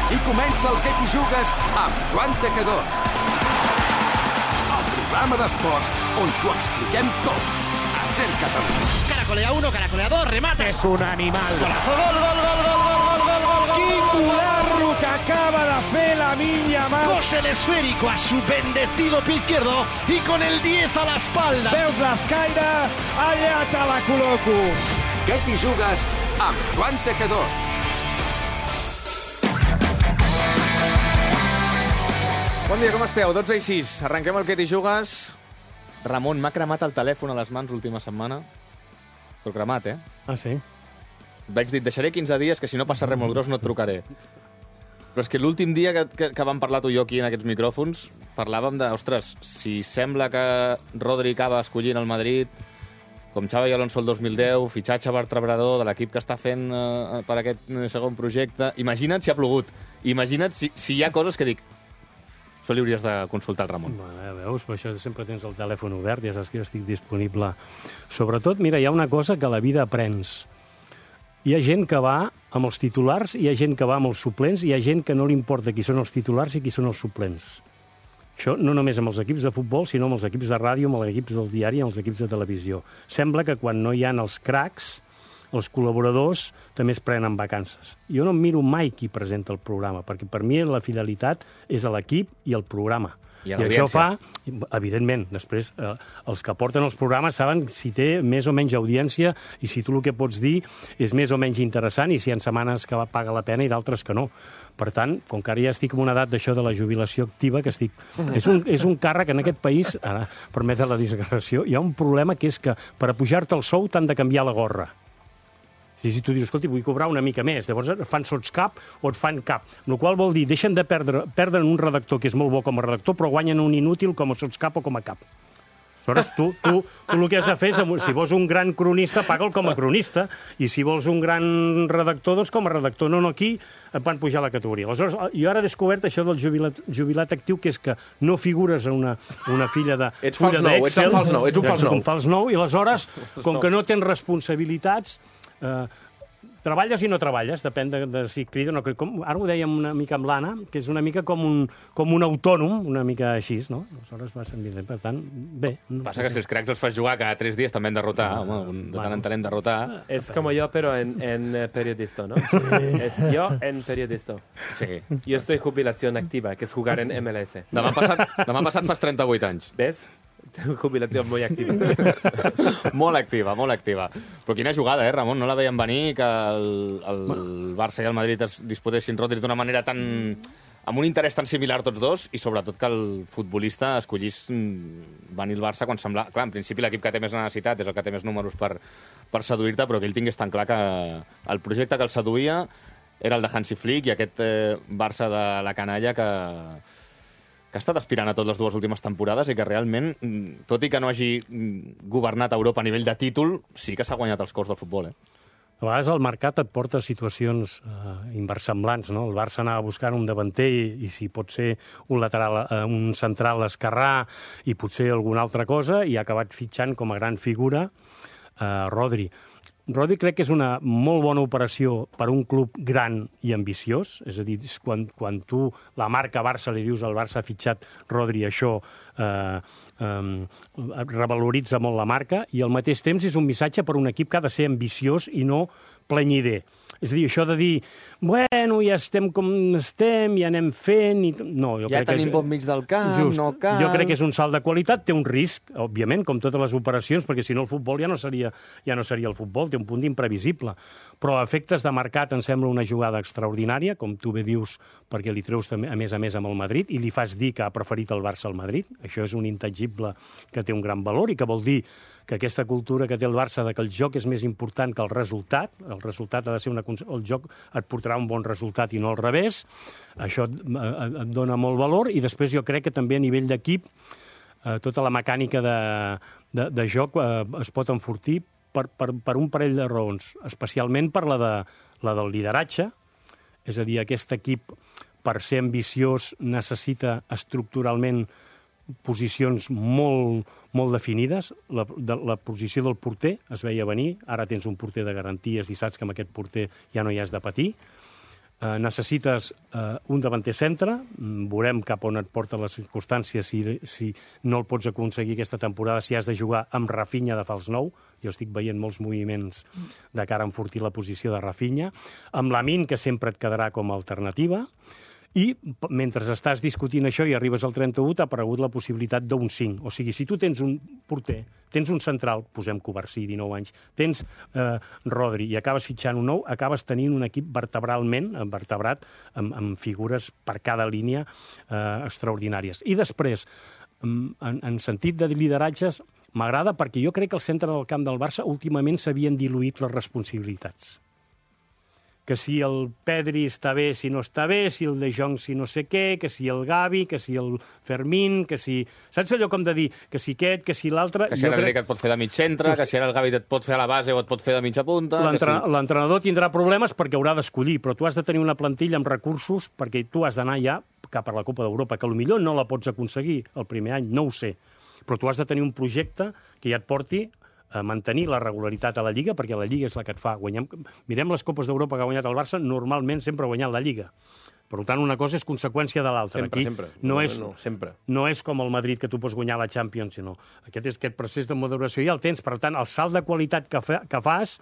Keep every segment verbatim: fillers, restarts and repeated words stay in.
Aquí comença el Què t'hi jugues amb Joan Tejedor. El programa d'esports on t'ho expliquem tot. A Ser Catalunya. Caracolea uno, caracolea dos, remate. És un animal. Golazo, gol, gol, gol, gol, gol, gol, gol, gol, gol. Quin golazo que acaba de fer Lamine Yamal. Cose el esférico a su bendecido pie izquierdo y con el diez a la espalda. Veus l'escaire? Allà te la col·loco. Què t'hi jugues amb Joan Tejedor. Bon dia, com esteu? dotze i sis. Arrenquem el Què t'hi jugues. Ramon, m'ha cremat el telèfon a les mans l'última setmana. Però cremat, eh? Ah, sí? Vaig dir, deixaré quinze dies, que si no passa res molt gros no et trucaré. Però és que l'últim dia que, que, que vam parlar tu i jo aquí en aquests micròfons, parlàvem de, ostres, si sembla que Rodri acaba escollint el Madrid, com Xavi Alonso el dos mil deu, fitxatge vertebrador de l'equip que està fent eh, per aquest segon projecte, imagina't si ha plogut. Imagina't si, si hi ha coses que dic, això li hauries de consultar al Ramon. Bueno, veus, per això sempre tens el telèfon obert, ja saps que jo estic disponible. Sobretot, mira, hi ha una cosa que a la vida aprens. Hi ha gent que va amb els titulars, hi ha gent que va amb els suplents, hi ha gent que no li importa qui són els titulars i qui són els suplents. Això no només amb els equips de futbol, sinó amb els equips de ràdio, amb els equips del diari i amb els equips de televisió. Sembla que quan no hi ha els cracs, els col·laboradors també es prenen vacances. Jo no em miro mai qui presenta el programa, perquè per mi la fidelitat és a l'equip i al programa. I, I això fa, evidentment, després eh, els que porten els programes saben si té més o menys audiència i si tu el que pots dir és més o menys interessant i si hi ha setmanes que paga la pena i d'altres que no. Per tant, com que ara ja estic en una edat d'això de la jubilació activa, que estic... És un, és un càrrec en aquest país, ara, permet la disgregació, hi ha un problema que és que per a pujar-te el sou t'han de canviar la gorra. Si, si tu dius, escolta, vull cobrar una mica més, llavors et fan sotscap o et fan cap. El qual vol dir, deixen de perdre, perdre un redactor que és molt bo com a redactor, però guanyen un inútil com a sotscap o com a cap. Aleshores, tu, tu, tu el que has de fer és, si vols un gran cronista, paga'l com a cronista, i si vols un gran redactor, doncs com a redactor. No, no, aquí et van pujar la categoria. Aleshores, jo ara he descobert això del jubilat, jubilat actiu, que és que no figures a una, una filla de ets fulla nou, d'Excel. Ets un fals nou, ets un fals nou. Un fals nou, i aleshores, com que no tens responsabilitats, Uh, treballes i no treballes, depèn de, de si crida o no crida. Com, ara ho dèiem una mica amb l'Anna, que és una mica com un, com un autònom, una mica així, no? Aleshores va sentir bé, per tant, bé. No, Passa que si els cracs els fas jugar cada tres dies també han derrotar, ah, home, de tant en tant hem derrotar. Es como yo, pero en, en periodista, ¿no? Sí. Es yo en periodista. Sí. Yo estoy jubilación activa, que es jugar en M L S. Demà passat, demà passat fas trenta-vuit anys. ¿Ves? Jubilació molt activa. Molt activa, molt activa. Però quina jugada, eh, Ramon? No la veiem venir que el, el Barça i el Madrid es disputessin Rodri d'una manera tan... amb un interès tan similar tots dos, i sobretot que el futbolista escollís venir el Barça quan sembla... Clar, en principi l'equip que té més necessitat és el que té més números per, per seduir-te, però que ell tingués tan clar que el projecte que el seduïa era el de Hansi Flick i aquest eh, Barça de la canalla que... que ha estat aspirant a totes les dues últimes temporades i que realment, tot i que no hagi governat Europa a nivell de títol, sí que s'ha guanyat els cors del futbol, eh? A vegades el mercat et porta a situacions eh, inversemblants, no? El Barça anava buscant un davanter i, i si pot ser un lateral, eh, un central esquerrà i potser alguna altra cosa, i ha acabat fitxant com a gran figura eh, Rodri. Rodri crec que és una molt bona operació per a un club gran i ambiciós, és a dir, quan, quan tu, la marca Barça, li dius al Barça ha fitxat Rodri, això eh, eh, revaloritza molt la marca, i al mateix temps és un missatge per a un equip que ha de ser ambiciós i no plenyider. És a dir, això de dir, bueno, ja estem com estem, ja anem fent... I... No, jo ja crec tenim que és... bon mig del camp, Just. no cal... Jo crec que és un salt de qualitat, té un risc, òbviament, com totes les operacions, perquè si no el futbol ja no seria, ja no seria el futbol, té un punt imprevisible. Però a efectes de mercat em sembla una jugada extraordinària, com tu bé dius, perquè li treus a més a més amb el Madrid, i li fas dir que ha preferit el Barça al Madrid. Això és un intangible que té un gran valor i que vol dir que aquesta cultura que té el Barça de que el joc és més important que el resultat, el resultat ha de ser una... el joc et portarà un bon resultat i no al revés, això et, et dona molt valor, i després jo crec que també a nivell d'equip eh, tota la mecànica de, de, de joc eh, es pot enfortir per, per, per un parell de raons, especialment per la, de, la del lideratge, és a dir, aquest equip per ser ambiciós necessita estructuralment posicions molt, molt definides. La, de, la posició del porter es veia venir, ara tens un porter de garanties i saps que amb aquest porter ja no hi has de patir. Eh, necessites eh, un davanter centre, veurem cap on et porten les circumstàncies, si, si no el pots aconseguir aquesta temporada, si has de jugar amb Rafinha de fals nou. Jo estic veient molts moviments de cara a enfortir la posició de Rafinha, amb Lamine, que sempre et quedarà com a alternativa, i mentre estàs discutint això i arribes al trenta-u, t'ha aparegut la possibilitat d'un cinc. O sigui, si tu tens un porter, tens un central, posem Covarsí, dinou anys, tens eh, Rodri i acabes fitxant un nou, acabes tenint un equip vertebralment, vertebrat, amb, amb figures per cada línia eh, extraordinàries. I després, en, en sentit de lideratges, m'agrada perquè jo crec que al centre del camp del Barça últimament s'havien diluït les responsabilitats. Que si el Pedri està bé, si no està bé, si el De Jong si no sé què, que si el Gavi, que si el Fermín, que si... Saps allò com de dir que si aquest, que si l'altre... Que si l'Enric crec... et pot fer de mig centre, que si ara el Gavi et pot fer a la base o et pot fer de mitja punta... L'entrenador si... tindrà problemes perquè haurà d'escollir, però tu has de tenir una plantilla amb recursos perquè tu has d'anar ja cap a la Copa d'Europa, que potser no la pots aconseguir el primer any, no ho sé, però tu has de tenir un projecte que ja et porti a mantenir la regularitat a la Lliga, perquè la Lliga és la que et fa guanyar. Mirem les Copes d'Europa que ha guanyat el Barça, normalment sempre ha guanyat la Lliga. Per tant, una cosa és conseqüència de l'altra. Sempre, Aquí sempre. No, no, és, no, sempre. no és com el Madrid, que tu pots guanyar la Champions, sinó aquest és aquest procés de maduració ja el tens. Per tant, el salt de qualitat que, fa, que fas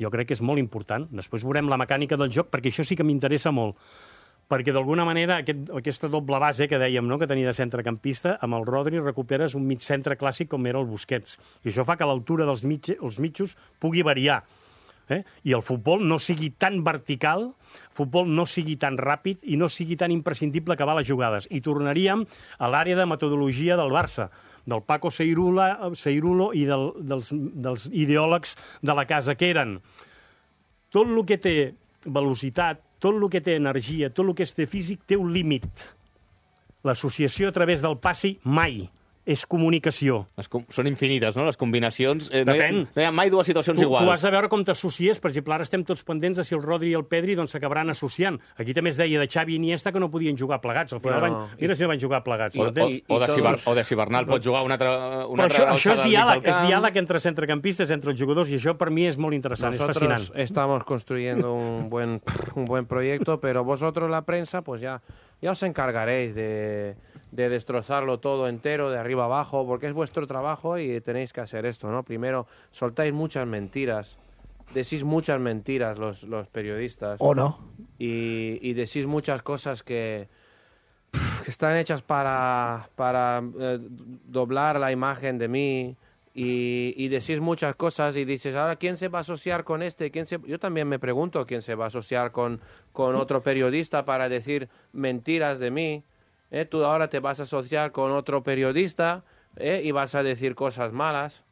jo crec que és molt important. Després veurem la mecànica del joc, perquè això sí que m'interessa molt. Perquè d'alguna manera aquest, aquesta doble base que dèiem, no?, que tenia de centrecampista, amb el Rodri recuperes un mig centre clàssic com era el Busquets. I això fa que l'altura dels mig, els mitjos pugui variar. Eh? I el futbol no sigui tan vertical, el futbol no sigui tan ràpid i no sigui tan imprescindible acabar les jugades. I tornaríem a l'àrea de metodologia del Barça, del Paco Seirulo i del, dels, dels ideòlegs de la casa, que eren tot el que té velocitat, tot el que té energia, tot el que té físic, té un límit. L'associació a través del passi mai és comunicació. Les com... Són infinites, no?, les combinacions. Eh, no, hi ha, Depèn. no hi ha mai dues situacions tu, iguals. Tu has de veure com t'associes. Per exemple, ara estem tots pendents de si el Rodri i el Pedri doncs, s'acabaran associant. Aquí també es deia de Xavi i Iniesta que no podien jugar plegats. Al final Bueno, van... Mira si no van jugar plegats. O, o, I, o, de si, tots... o de si Bernal pot jugar una altra, una Però això, altra això és alçada al mig diàleg, del és camp. diàleg entre centrecampistes, entre els jugadors, i això per mi és molt interessant, Nosotros és fascinant. estamos construyendo un buen, un buen proyecto, pero vosotros, la prensa, pues ya, ya os encargaréis de, de destrozarlo todo entero, de arriba abajo, porque es vuestro trabajo y tenéis que hacer esto, ¿no? Primero, soltáis muchas mentiras, decís muchas mentiras los, los periodistas. O no. Y, y decís muchas cosas que, que están hechas para, para eh, doblar la imagen de mí. Y, y decís muchas cosas y dices, ahora, ¿quién se va a asociar con este? ¿Quién se... Yo también me pregunto quién se va a asociar con, con otro periodista para decir mentiras de mí. ¿Eh? Tú ahora te vas a asociar con otro periodista, ¿eh?, y vas a decir cosas malas.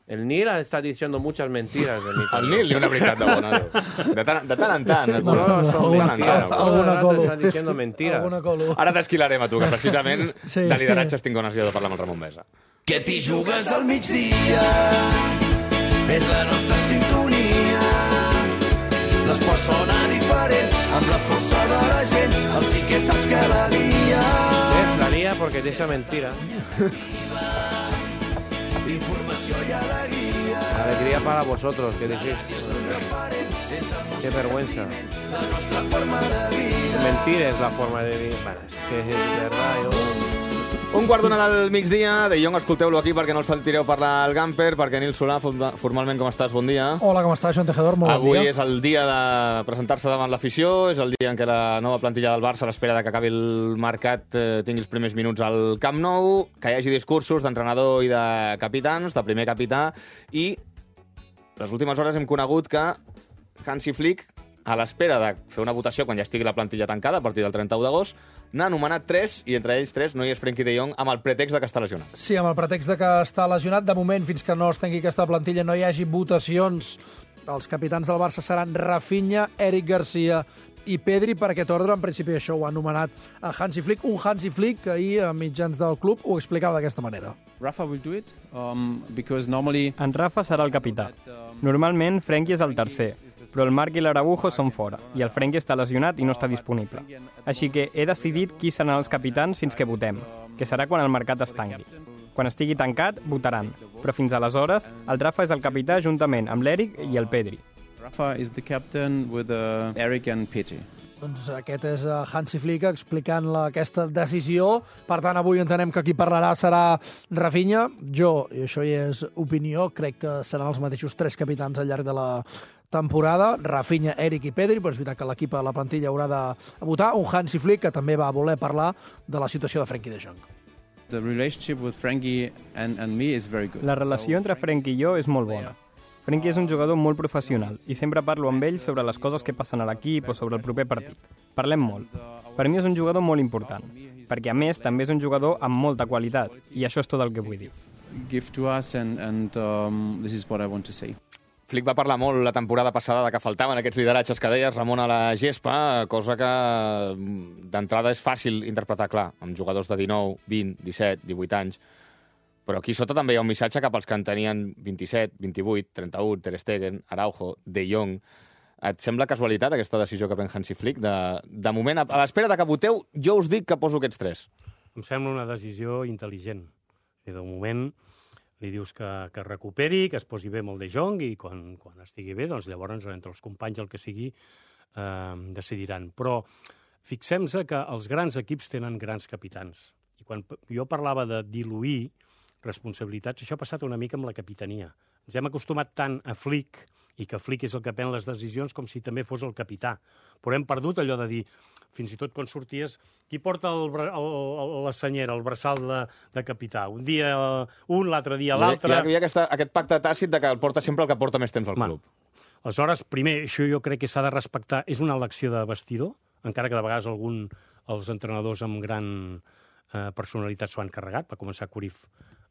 El Nil está diciendo muchas mentiras de mí. El Nil, ni una veritat de bona. De tant, de tant en tant. No, no, son de tant en mentiras. tant. Todo el Alguna rato colo. están diciendo mentiras. Alguna colo. Ara t'esquilarem a tu, que precisament Sí. de lideratges tinc ganes jo de parlar amb el Ramon Mesa. Que t'hi jugues al migdia, és la nostra sintonia. L'esport sona diferent, amb la força de la gent, el sí que saps que la lia. ¿Ves? La lía porque te echa mentira. Informació i alegria, Alegría para vosotros, que decís. Qué vergüenza. la nostra forma de vida. Mentir es la forma de vivir. Bueno, es que de verdad yo... Un quart d'una del migdia, De Jong, escolteu-lo aquí perquè no el sentireu parlar al Gamper, perquè Nil Solà, formalment com estàs? Bon dia. Hola, com estàs, Joan Tejedor? Molt Avui bon dia. és el dia de presentar-se davant l'afició, és el dia en què la nova plantilla del Barça, a l'espera de que acabi el mercat, eh, tingui els primers minuts al Camp Nou, que hi hagi discursos d'entrenador i de capitans, de primer capità, i les últimes hores hem conegut que Hansi Flick, a l'espera de fer una votació quan ja estigui la plantilla tancada a partir del trenta-u d'agost, n'ha anomenat tres, i entre ells tres no hi és Frenkie de Jong, amb el pretext de que està lesionat. Sí, amb el pretext de que està lesionat. De moment, fins que no es tengui aquesta plantilla, no hi hagi votacions. Els capitans del Barça seran Rafinha, Eric Garcia i Pedri. Per aquest ordre, en principi, això ho ha anomenat a Hansi Flick. Un Hansi Flick que ahir, a mitjans del club, ho explicava d'aquesta manera. Rafa will do it um, because normally En Rafa serà el capità. Normalment, Frenkie és el tercer, però el Marc i l'Araujo són fora, i el Frenkie està lesionat i no està disponible. Així que he decidit qui seran els capitans fins que votem, que serà quan el mercat es tanqui. Quan estigui tancat, votaran, però fins aleshores, el Rafa és el capità juntament amb l'Eric i el Pedri. Rafa is the captain with uh, Eric and Petri. Doncs aquest és Hansi Flick explicant la, aquesta decisió. Per tant, avui entenem que qui parlarà serà Rafinha. Jo, i això ja és opinió, crec que seran els mateixos tres capitans al llarg de la temporada. Rafinha, Eric i Pedri, però és veritat que l'equip a la plantilla haurà de votar. Un Hansi Flick que també va voler parlar de la situació de Frenkie de Jong. The relationship with Frenkie and, and me is very good. La relació entre Frenkie i jo és molt bona. Frenkie és un jugador molt professional i sempre parlo amb ell sobre les coses que passen a l'equip o sobre el proper partit. Parlem molt. Per mi és un jugador molt important, perquè a més també és un jugador amb molta qualitat, i això és tot el que vull dir. Give to us and, and um, this is what I want to say. Flick va parlar molt la temporada passada de que faltaven aquests lideratges que deies, Ramon, a la gespa, cosa que d'entrada és fàcil interpretar, clar, amb jugadors de dinou, vint, disset, divuit anys. Però aquí sota també hi ha un missatge cap als que en tenien vint-i-set, vint-i-vuit, trenta-u, Ter Stegen, Araujo, De Jong. Et sembla casualitat aquesta decisió que pren Hansi Flick? De, de moment, a l'espera de que voteu, jo us dic que poso aquests tres. Em sembla una decisió intel·ligent. I de moment li dius que, que recuperi, que es posi bé amb el De Jong i quan, quan estigui bé, doncs llavors entre els companys el que sigui eh, decidiran. Però fixem-se que els grans equips tenen grans capitans. I quan jo parlava de diluir responsabilitats, això ha passat una mica amb la capitania. Ens hem acostumat tant a Flick, i que Flick és el que pren les decisions, com si també fos el capità. Però hem perdut allò de dir, fins i tot quan sorties, qui porta el, el, el, la senyera, el braçal de, de capità? Un dia un, l'altre dia l'altre... Hi ha, hi ha aquesta, aquest pacte tàcit de que el porta sempre el que porta més temps al club. Aleshores, primer, això jo crec que s'ha de respectar, és una elecció de vestidor, encara que de vegades algun, els entrenadors amb gran eh, personalitat s'ho han carregat, va començar Cruyff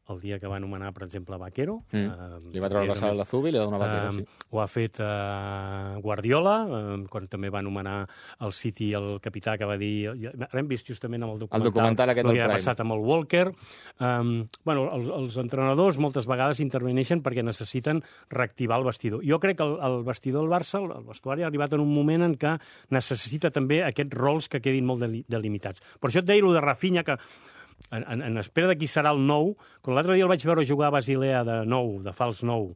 el dia que va anomenar, per exemple, Vaquero. Mm. Uh, li va treure el braçal a la Zubi i li va donar Vaquero, uh, sí. Ho ha fet uh, Guardiola, uh, quan també va anomenar el City el capità que va dir... Ara hem vist justament amb el documental, el documental aquest el que ha passat amb el Walker. Um, bueno, els, els entrenadors moltes vegades interveneixen perquè necessiten reactivar el vestidor. Jo crec que el, el vestidor del Barça, el, el vestuari, ha arribat en un moment en què necessita també aquests rols que quedin molt delimitats. Per això et deia, el de Rafinha, que En, en, en espera de qui serà el nou, quan l'altre dia el vaig veure jugar a Basilea de nou, de fals nou,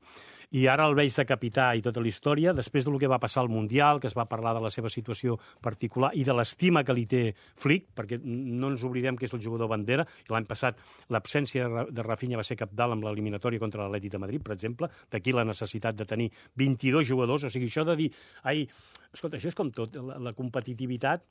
i ara el veig de capità i tota la història, després del que va passar al Mundial, que es va parlar de la seva situació particular i de l'estima que li té Flick, perquè no ens oblidem que és el jugador bandera, i l'any passat l'absència de Rafinha va ser cabdal amb l'eliminatòria contra l'Atlètic de Madrid, per exemple, d'aquí la necessitat de tenir vint-i-dos jugadors, o sigui, això de dir, ai, escolta, això és com tot, la, la competitivitat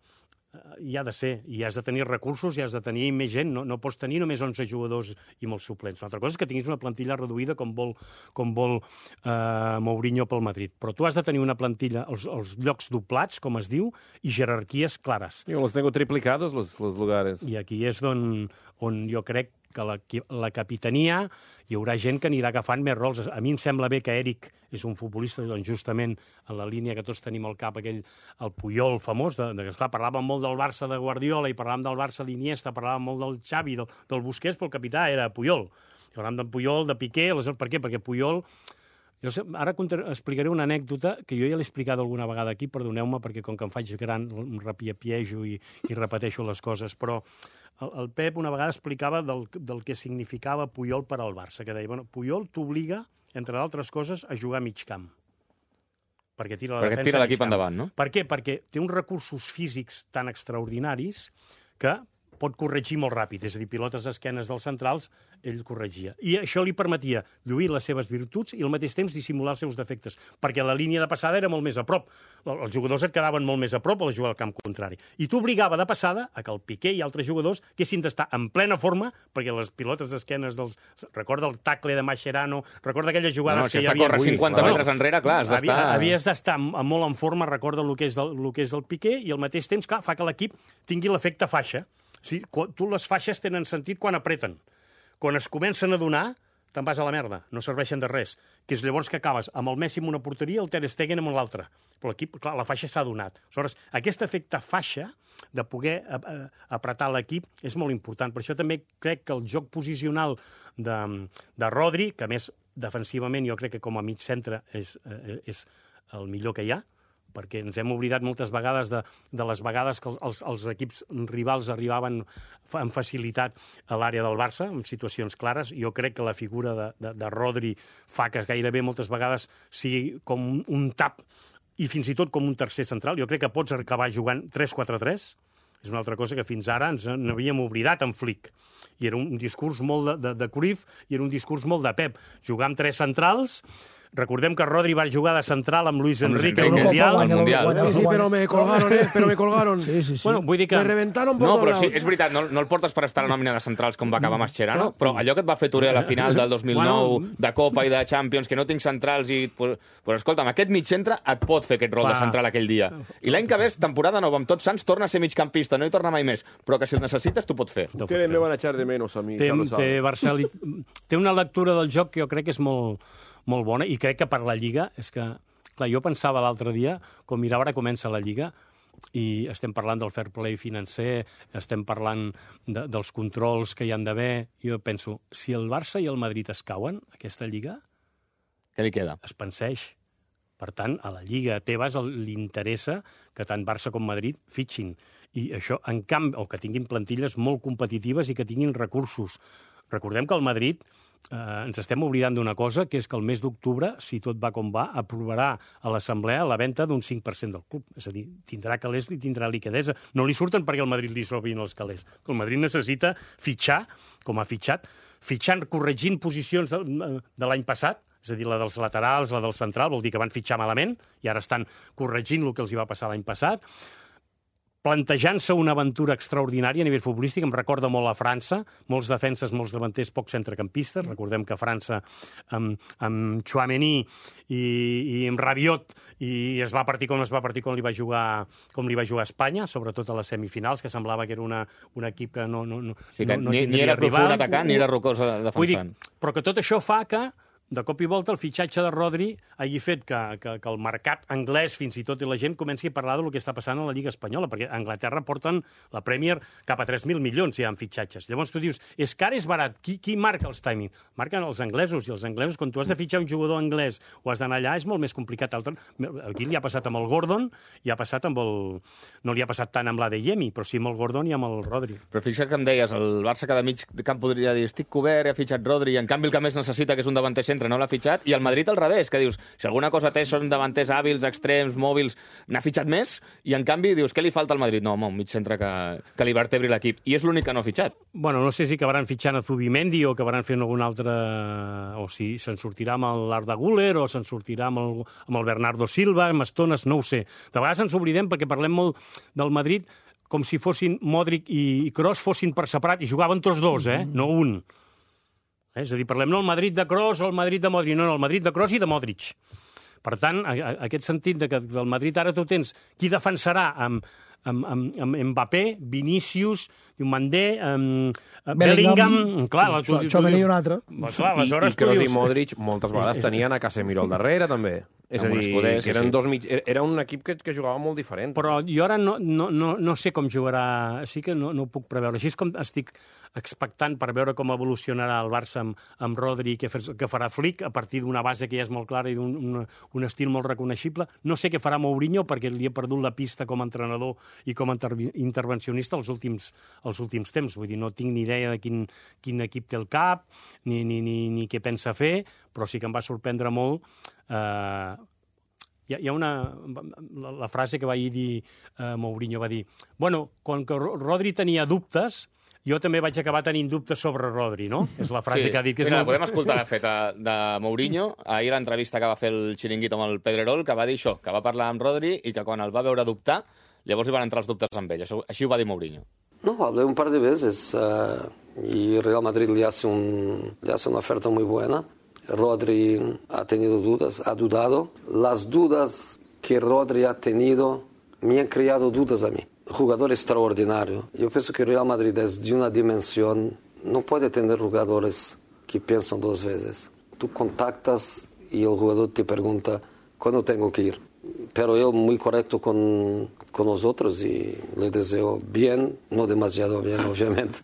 hi ha de ser, i has de tenir recursos, i has de tenir més gent, no, no pots tenir només onze jugadors i molts suplents. Una altra cosa és que tinguis una plantilla reduïda com vol, com vol eh, Mourinho pel Madrid, però tu has de tenir una plantilla, els, els llocs doblats, com es diu, i jerarquies clares. Yo los tengo triplicados los, los lugares. I aquí és on, on jo crec que la, la capitania hi haurà gent que anirà agafant més rols. A mi em sembla bé que Eric és un futbolista, doncs justament en la línia que tots tenim al cap, aquell, el Puyol famós, de, de, esclar, parlàvem molt del Barça de Guardiola i parlàvem del Barça d'Iniesta, parlàvem molt del Xavi, del, del Busquets, però el capità era Puyol. Parlàvem del Puyol, de Piqué, les, per què? Perquè Puyol... Jo sé, ara explicaré una anècdota que jo ja l'he explicat alguna vegada aquí, perdoneu-me, perquè com que em faig gran em repiapiejo i, i repeteixo les coses, però el, el Pep una vegada explicava del, del que significava Puyol per al Barça, que deia, bueno, Puyol t'obliga, entre d'altres coses, a jugar a mig camp. Perquè tira la perquè defensa tira l'equip endavant, no? Per què? Perquè té uns recursos físics tan extraordinaris que pot corregir molt ràpid, és a dir, pilotes d'esquenes dels centrals, ell corregia. I això li permetia lluir les seves virtuts i al mateix temps dissimular els seus defectes, perquè la línia de passada era molt més a prop. Els jugadors et quedaven molt més a prop a la jugada al camp contrari. I t'obligava de passada a que el Piqué i altres jugadors haguessin d'estar en plena forma, perquè les pilotes d'esquenes dels... Recorda el tacle de Mascherano, recorda aquelles jugades no, no, que si hi havia... No, si cinquanta metres no, enrere, clar, has d'estar... Havies d'estar molt en forma, recorda el que és del, el que és del Piqué, i al mateix temps, clar, fa que l'equip tingui l'efecte faixa. Sí, tu les faixes tenen sentit quan apreten. Quan es comencen a donar, te'n vas a la merda, no serveixen de res. Que és llavors que acabes amb el Messi en una porteria i el Ter Stegen en l'altra. Però l'equip, clar, la faixa s'ha donat. Aleshores, aquest efecte faixa de poder apretar l'equip és molt important. Per això també crec que el joc posicional de, de Rodri, que a més defensivament jo crec que com a mig centre és, és el millor que hi ha, perquè ens hem oblidat moltes vegades de, de les vegades que els, els equips rivals arribaven amb facilitat a l'àrea del Barça, en situacions clares. Jo crec que la figura de, de, de Rodri fa que gairebé moltes vegades sigui com un, un tap i fins i tot com un tercer central. Jo crec que pots acabar jugant tres quatre tres. És una altra cosa que fins ara ens n'havíem oblidat en Flick. I era un discurs molt de, de, de Cruyff i era un discurs molt de Pep. Jugar amb tres centrals. Recordem que Rodri va jugar de central amb Luis Enrique al Mundial. Al Mundial. Sí, sí, però me colgaron, eh? Però me colgaron. Sí, sí, sí. Bueno, vull dir que... Me reventaron por No, todos però sí, lados. és veritat, no, no el portes per estar a la nòmina de centrals com va acabar Mascherano, però allò que et va fer Touré a la final del dos mil nou, Bueno. de Copa i de Champions, que no tinc centrals i... Pues, pues escolta'm, aquest mig centre et pot fer aquest rol Clar. de central aquell dia. I l'any que ve, temporada nova, amb Tots Sants, torna a ser migcampista, no hi torna mai més, però que si el necessites t'ho pot fer. Ustedes me van a echar de menos a mí, Té, ya lo té, saben. Barceli... té una lectura del joc que jo crec que és molt, molt bona i crec que per la Lliga és que... Clar, jo pensava l'altre dia, com mirava, ara comença la Lliga i estem parlant del fair play financer, estem parlant de, dels controls que hi han d'haver. Jo penso, si el Barça i el Madrid es cauen, aquesta Lliga Què li queda? es penseix. Per tant, a la Lliga Tebas li interessa que tant Barça com Madrid fitxin. I això, en canvi, o que tinguin plantilles molt competitives i que tinguin recursos. Recordem que el Madrid eh, ens estem oblidant d'una cosa, que és que el mes d'octubre, si tot va com va, aprovarà a l'Assemblea la venda d'un cinc per cent del club. És a dir, tindrà calés i tindrà liquidesa. No li surten perquè el Madrid li sobrin els calés. El Madrid necessita fitxar, com ha fitxat, fitxant, corregint posicions de, de l'any passat, és a dir, la dels laterals, la del central, vol dir que van fitxar malament i ara estan corregint el que els hi va passar l'any passat, plantejant-se una aventura extraordinària a nivell futbolístic. Em recorda molt a França, molts defenses, molts davanters, pocs centrecampistes. Recordem que França amb, amb Tchouaméni i, i amb Rabiot i es va partir com es va partir com li va jugar, com li va jugar a Espanya, sobretot a les semifinals, que semblava que era una, un equip que no, no, no, Sí, que no, no ni, ni tindria era profund rival. atacant, ni era rocós defensant. Vull dir, però que tot això fa que de cop i volta el fitxatge de Rodri hagi fet que, que, que el mercat anglès, fins i tot, i la gent comenci a parlar del que està passant a la Lliga Espanyola, perquè a Anglaterra porten la Premier cap a tres mil milions, ja en fitxatges. Llavors tu dius, és car, és barat, qui, qui marca els timings? Marquen els anglesos, i els anglesos, quan tu has de fitxar un jugador anglès o has d'anar allà, és molt més complicat. Altre... Aquí li ha passat amb el Gordon, i ha passat amb el... No li ha passat tant amb l'Adeyemi, però sí amb el Gordon i amb el Rodri. Però fixa't que em deies, el Barça cada mig camp podria dir estic cobert, he fitxat Rodri, i en canvi el que més necessita, que és un davanter centre, no l'ha fitxat, i el Madrid al revés, que dius, si alguna cosa té són davanters hàbils, extrems, mòbils, n'ha fitxat més, i en canvi dius, què li falta al Madrid? No, home, un mig centre que, que li vertebri l'equip, i és l'únic que no ha fitxat. Bueno, no sé si acabaran fitxant a Zubimendi o acabaran fent algun altre... o si se'n sortirà amb l'Arda Güler o se'n sortirà amb el, amb el Bernardo Silva, amb estones, no ho sé. De vegades ens oblidem perquè parlem molt del Madrid com si fossin Modric i Kroos fossin per separat, i jugaven tots dos, eh? No un. És a dir, parlem no el Madrid de Kroos o el Madrid de Modric, no, no, el Madrid de Kroos i de Modric. Per tant, a, a, aquest sentit de que del Madrid ara tu tens qui defensarà amb, amb, amb, amb Mbappé, Vinícius, Mandé, amb Bellingham... Clar, la, tu, Tchouaméni i un altre. Clar, aleshores I, i Kroos dius... i Modric moltes vegades és, és... tenien a Casemiro al darrere, també. És a dir, escuders, que eren sí. dos mig... Era un equip que, que jugava molt diferent. Però jo ara no, no, no, no sé com jugarà, sí que no, no ho puc preveure. Així és com estic expectant per veure com evolucionarà el Barça amb, amb Rodri, que, fer, que farà Flick, a partir d'una base que ja és molt clara i d'un un, un estil molt reconeixible. No sé què farà Mourinho, perquè li he perdut la pista com a entrenador i com a inter intervencionista els últims, els últims temps. Vull dir, no tinc ni idea de quin, quin equip té el cap, ni, ni, ni, ni què pensa fer, però sí que em va sorprendre molt. Eh, hi, ha, hi ha una... La, la frase que va dir eh, Mourinho, va dir, bueno, quan que Rodri tenia dubtes, jo també vaig acabar tenint dubtes sobre Rodri, no? És la frase sí. que ha dit. Que és Mira, molt... podem escoltar la feta de Mourinho, ahir l'entrevista que va fer el Chiringuito amb el Pedrerol, que va dir això, que va parlar amb Rodri i que quan el va veure dubtar, llavors hi van entrar els dubtes amb ell. Això, així ho va dir Mourinho. No, hablé un par de veces uh, y Real Madrid le hace, un, le hace una oferta muy buena. Rodri ha tenido dudas, ha dudado. Las dudas que Rodri ha tenido me han creado dudas a mí. Jugador extraordinario. Yo pienso que Real Madrid es de una dimensión, no puede tener jugadores que piensan dos veces. Tú contactas y el jugador te pregunta cuándo tengo que ir. Pero él muy correcto con, con nosotros y le deseo bien, no demasiado bien, obviamente.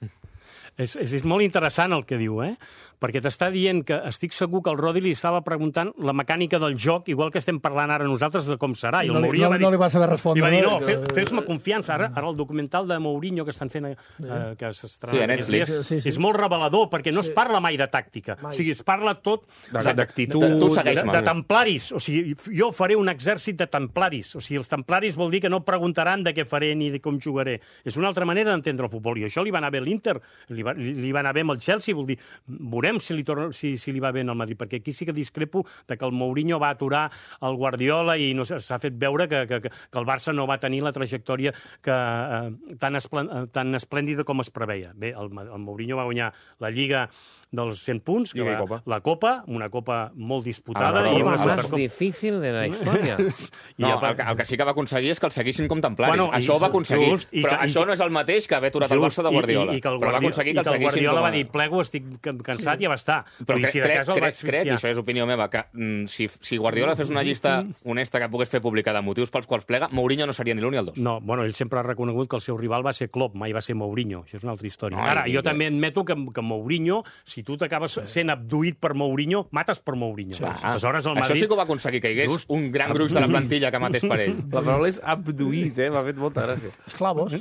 És, és, és molt interessant el que diu, eh? Perquè t'està dient que estic segur que el Rodri li estava preguntant la mecànica del joc, igual que estem parlant ara nosaltres de com serà. I el no, li, Mourinho no, va dir, no li va saber respondre. Li va dir, no, que... fe, fes-me confiança. Ara, ara el documental de Mourinho que estan fent, eh, que s'estrena sí, aquests dies, sí, sí. és molt revelador, perquè no sí. es parla mai de tàctica. Mai. O sigui, es parla tot d'actitud, de, de, de, de templaris. O sigui, jo faré un exèrcit de templaris. O sigui, els templaris vol dir que no preguntaran de què faré ni de com jugaré. És una altra manera d'entendre el futbol. I això li va anar bé a l'Inter, li, va, li va anar bé amb el Chelsea, vol dir, veurem si li, torna, si, si li va bé en el Madrid, perquè aquí sí que discrepo de que el Mourinho va aturar el Guardiola i no s'ha fet veure que, que, que el Barça no va tenir la trajectòria que, eh, tan, esplen, tan esplèndida com es preveia. Bé, el, el Mourinho va guanyar la Lliga dels cent punts, que va, Copa. la Copa, una Copa molt disputada. Ah, i la una Copa Supercopa més difícil de la història. No, el, el que sí que va aconseguir és que el seguissin com templaris. Bueno, això ho va aconseguir, just, i però que, això i, no és el mateix que haver aturat el Barça de Guardiola. I, i, i que el però va Guardiola, aconseguir que i el que el seguissin Guardiola com a... va dir, plego, estic cansat i ja està. Però Vull dir, crec, si de crec, cas el va crec, crec, i això és opinió meva, que mm, si, si Guardiola fes una llista honesta que pogués fer pública de motius pels quals plega, Mourinho no seria ni l'un ni el dos. No, bueno, ell sempre ha reconegut que el seu rival va ser Klopp, mai va ser Mourinho. Això és una altra història. Ai, Ara, jo vinga. també admeto que, que Mourinho, si tu t'acabes sent abduït per Mourinho, mates per Mourinho. Sí. Aleshores, el Això Madrid... sí que ho va aconseguir, que hi hagués Just. un gran gruix de la plantilla que matés per ell. La paraula és abduït, eh? M'ha fet molta gràcia. Esclavos.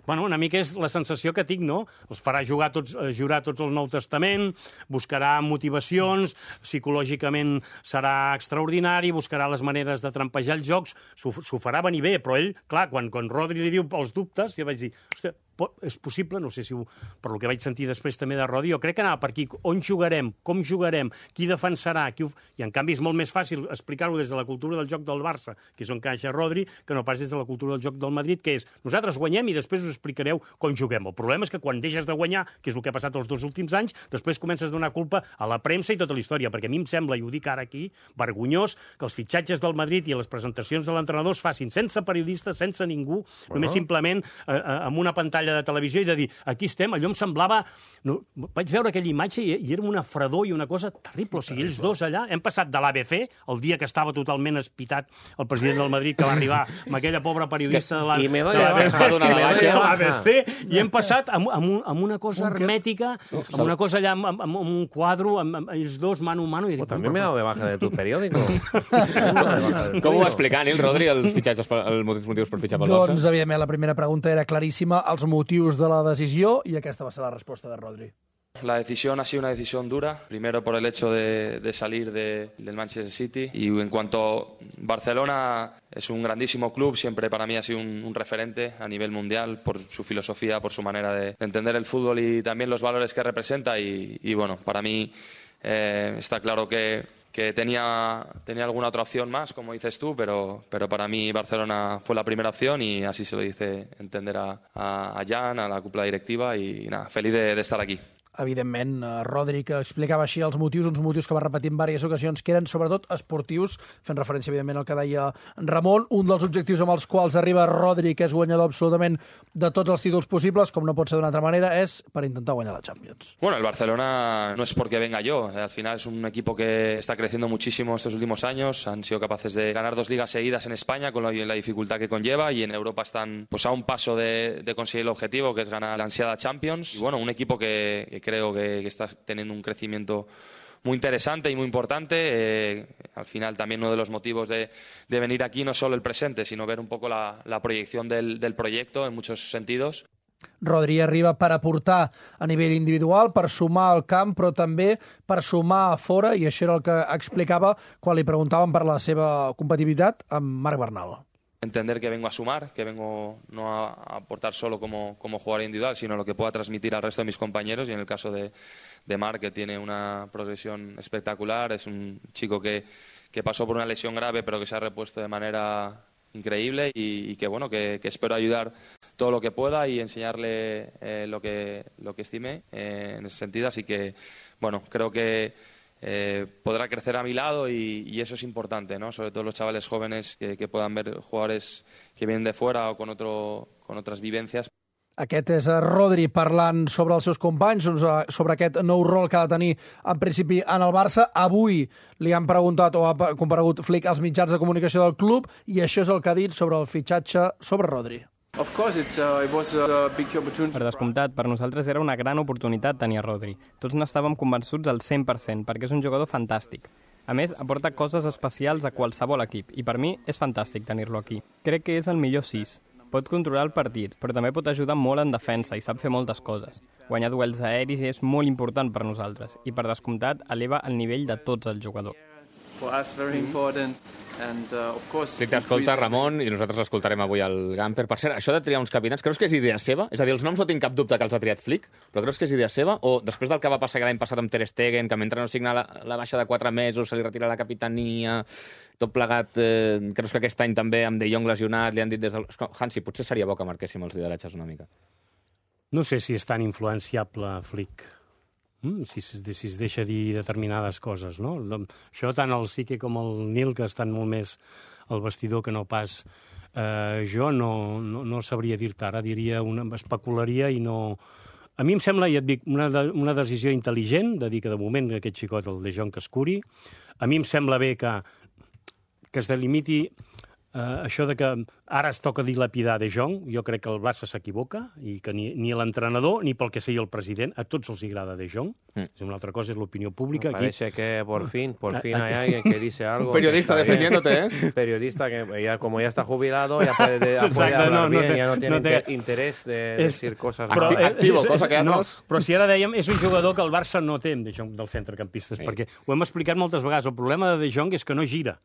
Bueno, una mica és la sensació que tinc, no? Els farà jugar tots, jurar tots el Nou Testament, buscarà motivacions, psicològicament serà extraordinari, buscarà les maneres de trampejar els jocs, s'ho farà venir bé, però ell, clar, quan, quan Rodri li diu els dubtes, jo vaig dir, hòstia, és possible, no sé si ho, per lo que vaig sentir després també de Rodri, jo crec que anava per aquí, on jugarem, com jugarem, qui defensarà, qui ho... i en canvi és molt més fàcil explicar-ho des de la cultura del joc del Barça, que és on caixa Rodri, que no pas des de la cultura del joc del Madrid, que és, nosaltres guanyem i després us explicareu com juguem. El problema és que quan deixes de guanyar, que és el que ha passat els dos últims anys, després comences a donar culpa a la premsa i tota la història, perquè a mi em sembla, i ho dic ara aquí, vergonyós, que els fitxatges del Madrid i les presentacions de l'entrenador es facin sense periodistes, sense ningú, bueno. només simplement eh, amb una pantalla de televisió i de dir, aquí estem, allò em semblava... No, vaig veure aquella imatge i, i era una fredor i una cosa terrible. O sigui, ells dos allà, hem passat de l'A B C, el dia que estava totalment espitat el president del Madrid, que va arribar amb aquella pobra periodista de l'A B C, i hem passat amb, amb, amb una cosa hermètica, amb una cosa allà, amb, amb, amb un quadro, amb, amb ells dos, mano a mano... I dic, també m'he dado de baja de tu periòdico. Com ho va explicar, Nil, Rodri, els fitxatges, els motius per fitxar pel Barça? Doncs, evidentment, la primera pregunta era claríssima, els motius de la decisió, i aquesta va ser la resposta de Rodri. La decisión ha sido una decisión dura, primero por el hecho de, de salir de, del Manchester City, y en cuanto Barcelona es un grandísimo club, siempre para mí ha sido un, un referente a nivel mundial por su filosofía, por su manera de, de entender el fútbol y también los valores que representa, y, y bueno, para mí eh, está claro que que tenía, tenía alguna otra opción más, como dices tú, pero, pero para mí Barcelona fue la primera opción y así se lo hice entender a, a, a Jan, a la cúpula directiva, y, y nada, feliz de, de estar aquí. Evidentment, Rodri, que explicava així els motius, uns motius que va repetir en diverses ocasions, que eren sobretot esportius, fent referència, evidentment, al que deia Ramon. Un dels objectius amb els quals arriba Rodri, que és guanyador absolutament de tots els títols possibles, com no pot ser d'una altra manera, és per intentar guanyar la Champions. Bueno, el Barcelona no es porque venga yo, al final es un equipo que está creciendo muchísimo estos últimos años, han sido capaces de ganar dos ligas seguidas en España con la, la dificultad que conlleva, y en Europa están pues a un paso de, de conseguir el objetivo, que es ganar la ansiada Champions. Y bueno, un equipo que, que creo que, que está teniendo un crecimiento muy interesante y muy importante. Eh, al final también uno de los motivos de, de venir aquí no es solo el presente, sino ver un poco la, la proyección del, del proyecto en muchos sentidos. Rodri arriba per aportar a nivell individual, per sumar al camp, però també per sumar a fora, i això era el que explicava quan li preguntaven per la seva competitivitat amb Marc Bernal. Entender que vengo a sumar, que vengo no a aportar solo como, como jugador individual, sino lo que pueda transmitir al resto de mis compañeros, y en el caso de, de Marc, que tiene una progresión espectacular, es un chico que, que pasó por una lesión grave pero que se ha repuesto de manera increíble, y, y que bueno, que, que espero ayudar todo lo que pueda y enseñarle eh, lo que lo que estime eh, en ese sentido, así que bueno, creo que Eh, podrá crecer a mi lado, y, y eso es importante, ¿no? Sobre todo los chavales jóvenes que, que puedan ver jugadores que vienen de fuera o con, otro, con otras vivencias. Aquest és Rodri parlant sobre els seus companys, sobre aquest nou rol que ha de tenir en principi en el Barça. Avui li han preguntat o ha comparegut Flick als mitjans de comunicació del club, i això és el que ha dit sobre el fitxatge sobre Rodri. Of course, it's, uh, it was a big opportunity. Per descomptat, per nosaltres era una gran oportunitat tenir a Rodri. Tots n'estàvem convençuts al cent per cent, perquè és un jugador fantàstic. A més, aporta coses especials a qualsevol equip, i per mi és fantàstic tenir-lo aquí. Crec que és el millor sis. Pot controlar el partit, però també pot ajudar molt en defensa i sap fer moltes coses. Guanyar duels aeris és molt important per nosaltres, i per descomptat eleva el nivell de tots els jugadors. For us, very important. And, uh, of course, Sí, t'escolta, Ramon, i nosaltres l'escoltarem avui al Gamper. Per cert, això de triar uns capitans, creus que és idea seva? És a dir, els noms no tinc cap dubte que els ha triat Flick, però creus que és idea seva? O després del que va passar l'any passat amb Ter Stegen, que mentre no signa la, la baixa de quatre mesos, se li retira la capitania, tot plegat, eh, creus que aquest any també amb De Jong lesionat, li han dit des del... Hansi, potser seria bo que marquéssim els lideratges una mica. No sé si és tan influenciable Flick. Mm, si, si, si es deixa dir determinades coses, no? Això tant el Sique com el Nil, que estan molt més al vestidor que no pas eh, jo, no, no, no sabria dir-te. Ara diria, una, especularia i no... A mi em sembla, ja et dic, una, de, una decisió intel·ligent de dir que de moment aquest xicot, el De Jong, que es curi. A mi em sembla bé que, que es delimiti Uh, això de que ara es toca dilapidar De Jong, jo crec que el Barça s'equivoca i que ni, ni l'entrenador ni pel que sigui el president, a tots els agrada De Jong. Mm. Una altra cosa és l'opinió pública. Me parece aquí... que por fin, por fin hay alguien que dice algo. Un periodista defendiéndote, ¿eh? Un periodista que ya, como ya está jubilado, ya puede, de, ya puede hablar no, no bien, te, ya no tiene no te... interés de es... decir cosas. Però, eh, activo, és, cosa que no, altres... però si ara dèiem, és un jugador que el Barça no té, De Jong, dels centrecampistes, sí. Perquè ho hem explicat moltes vegades. El problema de De Jong és que no gira.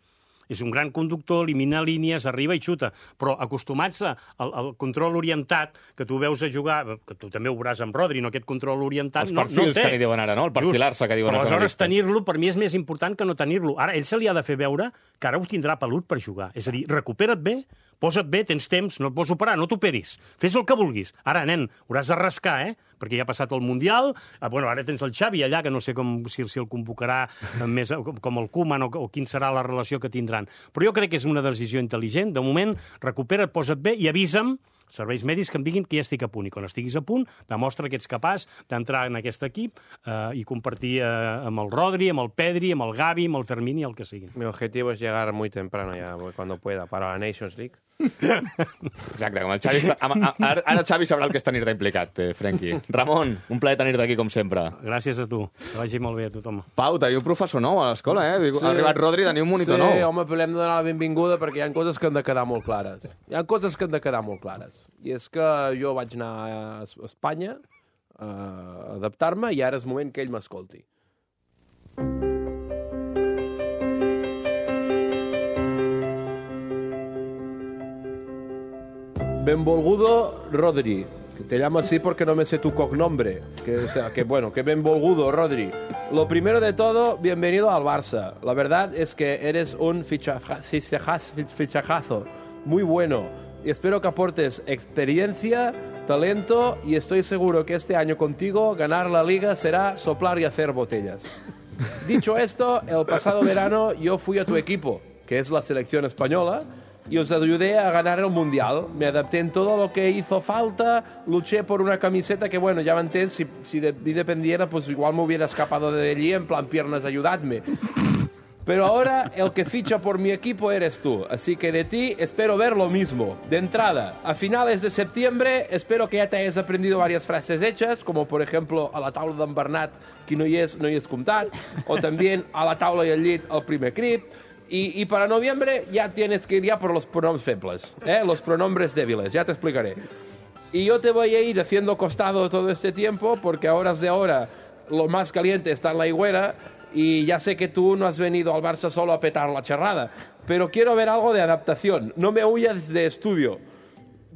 És un gran conductor, elimina línies, arriba i xuta, però acostumats al, al control orientat, que tu veus a jugar, que tu també ho veuràs amb Rodri, no aquest control orientat, no, no té. Els perfils que li diuen ara, no? El perfilar-se que diuen els els analistes. Però aleshores tenir-lo per mi és més important que no tenir-lo. Ara, ell se li ha de fer veure que ara ho tindrà pelut per jugar. És a dir, recupera't bé, posa't bé, tens temps, no et pots operar, no t'operis. Fes el que vulguis. Ara, nen, hauràs de rascar, eh? Perquè ja ha passat el Mundial. Ah, bueno, ara tens el Xavi allà, que no sé com, si, si el convocarà més com el Koeman o, o quin serà la relació que tindran. Però jo crec que és una decisió intel·ligent. De moment, recupera't, posa't bé i avisa'm serveis mèdics que em diguin que ja estic a punt. I quan estiguis a punt, demostra que ets capaç d'entrar en aquest equip eh, i compartir eh, amb el Rodri, amb el Pedri, amb el Gavi, amb el Fermín i el que sigui. Mi objetivo es llegar muy temprano ya, cuando pueda, para la Nations League. Exacte, com el Xavi... Està, ara, ara Xavi sabrà el que és tenir-te implicat, eh, Frenkie. Ramon, un plaer tenir-te aquí, com sempre. Gràcies a tu. Que vagi molt bé a tothom. Pau, teniu un professor nou a l'escola, eh? Sí. Ha arribat Rodri, teniu un monitor sí, nou. Sí, home, però hem de donar la benvinguda perquè hi ha coses que han de quedar molt clares. Hi ha coses que han de quedar molt clares. I és que jo vaig anar a Espanya a adaptar-me i ara és moment que ell m'escolti. Benvolgudo Rodri, que te llamo así porque no me sé tu cognombre, que, o sea, que bueno, que benvolgudo Rodri. Lo primero de todo, bienvenido al Barça. La verdad es que eres un fichaja, fichajazo muy bueno y espero que aportes experiencia, talento y estoy seguro que este año contigo ganar la Liga será soplar y hacer botellas. Dicho esto, el pasado verano yo fui a tu equipo, que es la selección española, y os ayudé a ganar el Mundial. Me adapté en todo lo que hizo falta, luché por una camiseta que, bueno, ya antes, si, si de mí dependiera, pues igual me hubiera escapado de allí en plan piernas, ayudadme. Pero ahora el que ficha por mi equipo eres tú, así que de ti espero ver lo mismo. De entrada, a finales de septiembre espero que ya te hayas aprendido varias frases hechas, como por ejemplo a la taula d'en Bernat, que no hi és, no hi és comptat, o también a la taula y al llit, el primer crit. Y, y para noviembre ya tienes que ir ya por los pronombres febles, ¿eh? Los pronombres débiles, ya te explicaré. Y yo te voy a ir haciendo costado todo este tiempo, porque a horas de ahora lo más caliente está en la higuera, y ya sé que tú no has venido al Barça solo a petar la charrada, pero quiero ver algo de adaptación. No me huyas de estudio.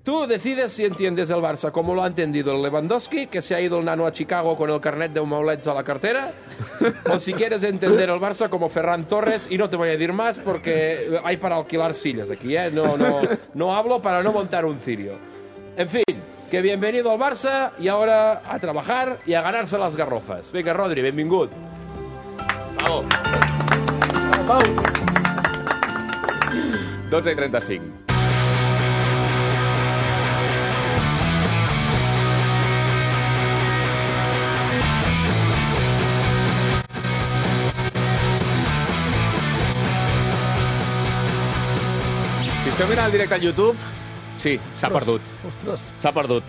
Tú decides si entiendes el Barça como lo ha entendido el Lewandowski, que se ha ido el nano a Chicago con el carnet de maulets a la cartera, o si quieres entender el Barça como Ferran Torres, y no te voy a decir más porque hay para alquilar sillas aquí, ¿eh? No, no, no hablo para no montar un cirio. En fin, que bienvenido al Barça y ahora a trabajar y a ganarse las garrofas. Venga, Rodri, benvingut. Bravo. Pau. dotze i trenta-cinc. Si esteu mirant el directe al YouTube, Sí, s'ha perdut. Ostres. S'ha perdut.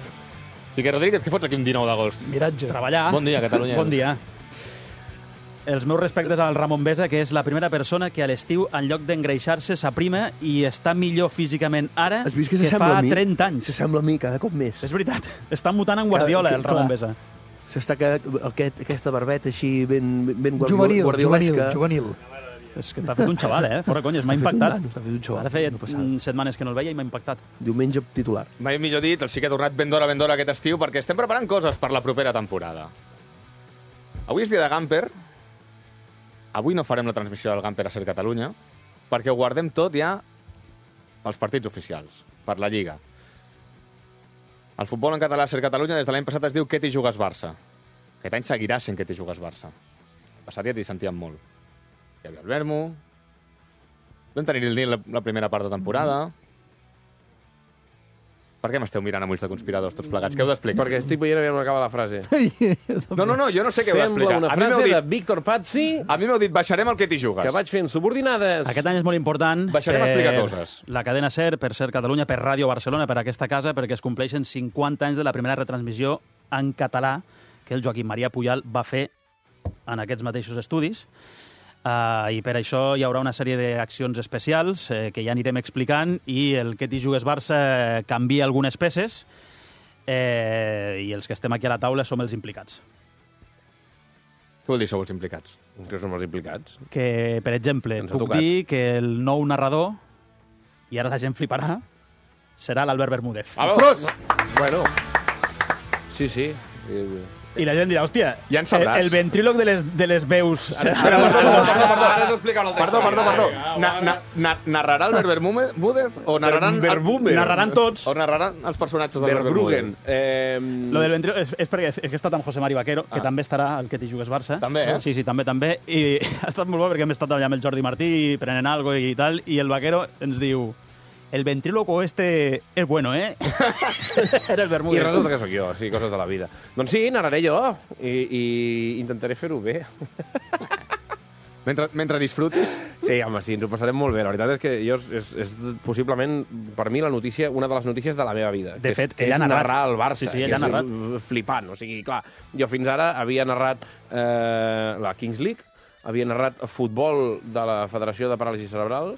Quique Rodríguez, què fots aquí un dinou d'agost? Miratge. Treballar. Bon dia, Catalunya. Bon dia. Els meus respectes al Ramon Besa, que és la primera persona que a l'estiu, en lloc d'engreixar-se, s'aprima i està millor físicament ara Has vist que que s'assembla fa a mi? trenta anys. S'assembla a mi cada cop més. És veritat. Està mutant en Guardiola, Cada- el Ramon clar. Besa. S'està quedant aquest, aquesta barbeta així ben, ben guardio, Juvenil, guardiolesca. juvenil, juvenil. És que t'ha fet un xaval, eh? Fora conyes, m'ha T'ha fet un impactat. nano, t'ha fet un xaval, Ara feia no passava. mm, setmanes que no el veia i m'ha impactat. Diumenge titular. Mai millor dit, el sí que ha tornat ben d'hora, ben d'hora aquest estiu, perquè estem preparant coses per la propera temporada. Avui és dia de Gamper. Avui no farem la transmissió del Gamper a Ser Catalunya, perquè ho guardem tot ja pels partits oficials, per la Lliga. El futbol en català a Ser Catalunya des de l'any passat es diu Què t'hi jugues Barça. Aquest any seguirà sent Què t'hi jugues Barça. El passat ja t'hi sentíem molt. Hi havia el Vermo, vam tenir el Nil la, la primera part de temporada. Per què m'esteu mirant amb ulls de conspiradors tots plegats? Què heu d'explicar? Perquè estic veient aviam on acaba la frase. No, no, no, jo no sé què heu d'explicar. Sembla una A mi m'heu frase dit- de Víctor Pazzi A mi m'heu dit, baixarem el Què t'hi jugues. que vaig fent subordinades. Aquest any és molt important Baixarem a explicar coses. la cadena SER, per Ser Catalunya, per Ràdio Barcelona, per aquesta casa, perquè es compleixen cinquanta anys de la primera retransmissió en català que el Joaquim Maria Pujal va fer en aquests mateixos estudis. Uh, I per això hi haurà una sèrie d'accions especials eh, que ja anirem explicant i el Què t'hi jugues Barça canvia algunes peces eh, i els que estem aquí a la taula som els implicats. Què vol dir, sou els implicats? Que som els implicats. Que, per exemple, Ens ha puc tocat. dir que el nou narrador, i ara la gent fliparà, serà l'Albert Bermúdez. Ostres! Bueno, sí, sí. I la gent dirà, hòstia, Ja en sabràs. el, el ventríloc de les, de les veus... Perdó, perdó, perdó, perdó, ara has d'explicar el text. Perdó, perdó, perdó. Na, na, na, narrarà el Bermúdez o narraran... Bermúdez. Narraran tots. O narraran els personatges del Verbruggen. Bermúdez. Eh, Lo del ventríloc és, és perquè és, és que he estat amb José Mari Vaquero, que Ah. també estarà al Què t'hi jugues Barça. També, eh? Sí, sí, també, també. I ha estat molt bo perquè hem estat allà amb el Jordi Martí prenent algo i tal, i el Vaquero ens diu el ventríloco este es bueno, eh? Era el I Bermúdez. resulta que sóc jo, sí, coses de la vida. Doncs sí, narraré jo i, i intentaré fer-ho bé. Mentre, mentre disfrutis... Sí, home, sí, ens ho passarem molt bé. La veritat és que jo és, és, és possiblement, per mi, la notícia, una de les notícies de la meva vida. De que fet, és, que ell és ha narrat. narrar el Barça. Sí, sí, ell que ha és narrat. Flipant. O sigui, clar, jo fins ara havia narrat eh, la Kings League, havia narrat futbol de la Federació de Paràlisi Cerebral,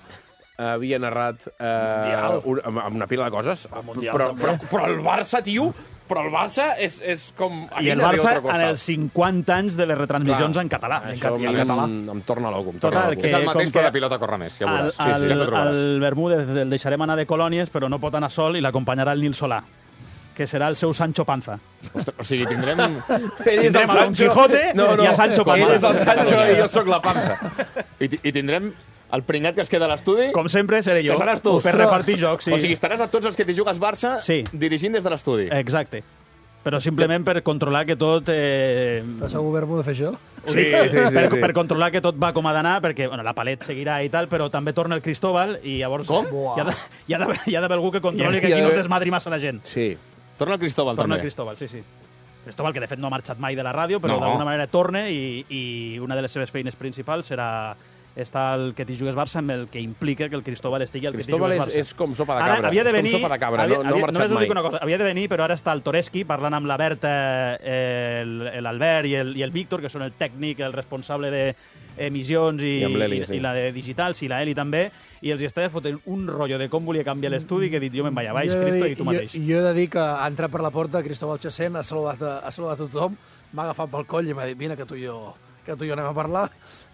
havia narrat eh, un, amb, amb una pila de coses, però, però, però el Barça, tio, però el Barça és, és com... I el Barça en els cinquanta anys de les retransmissions Clar, en català. Això en a mi català. Em, em torna loco. Em torna Total, loco. que És el mateix, com però que la pilota corre més, ja ho Al, veuràs. Sí, sí, ja t'ho trobaràs. al Bermúdez el deixarem anar de colònies, però no pot anar sol i l'acompanyarà el Nil Solà, que serà el seu Sancho Panza. Ostres, o sigui, tindrem... Ell és el Tindrem a Don Sancho. Quijote no, no, i a Sancho Panza. Ell és el Sancho i jo sóc la Panza. I, ti- I tindrem el pringat que es queda a l'estudi... Com sempre seré jo, Que seràs tu. per repartir jocs. Sí. O sigui, estaràs a tots els que t'hi jugues Barça Sí. dirigint des de l'estudi. Exacte. Però simplement per controlar que tot... Eh... T'has segur Bermúdez de fer això? Sí, sí, sí, per, sí. per controlar que tot va com ha d'anar, perquè bueno, la Palet seguirà i tal, però també torna el Cristóbal i llavors Com? hi ha, de, hi, ha d'haver, hi ha d'haver algú que controli Hi ha- que hi ha aquí no es d'haver- desmadri massa la gent. Sí. Torna el Cristóbal, Torna també. el Cristóbal, sí, sí. Cristóbal, que de fet no ha marxat mai de la ràdio, però No. d'alguna manera torna i, i una de les seves feines principals serà estar al Que t'hi jugues Barça, amb el que implica que el Cristóbal estigui al Que t'hi Cristóbal jugues és, Barça. és com sopa de Ara, cabra. havia de és venir, com sopa de cabra, havia, no, no havia, ha marxat només us mai. dic una cosa, havia de venir, però ara està el Toreski parlant amb la Berta, eh, el- l'Albert i el, i el Víctor, que són el tècnic, el responsable d'emissions i, I amb l'Eli, i, sí. i la de digitals, i la Eli també, i els hi estava fotent un rotllo de com volia canviar l'estudi que he dit jo me'n vaig a baix, Jo he de Cristo, dir- i tu mateix. Jo, jo he de dir que ha entrat per la porta Cristóbal Chacén, ha saludat, a, ha saludat a tothom, m'ha agafat pel coll i m'ha dit, vine que tu i jo que tu i jo anem a parlar,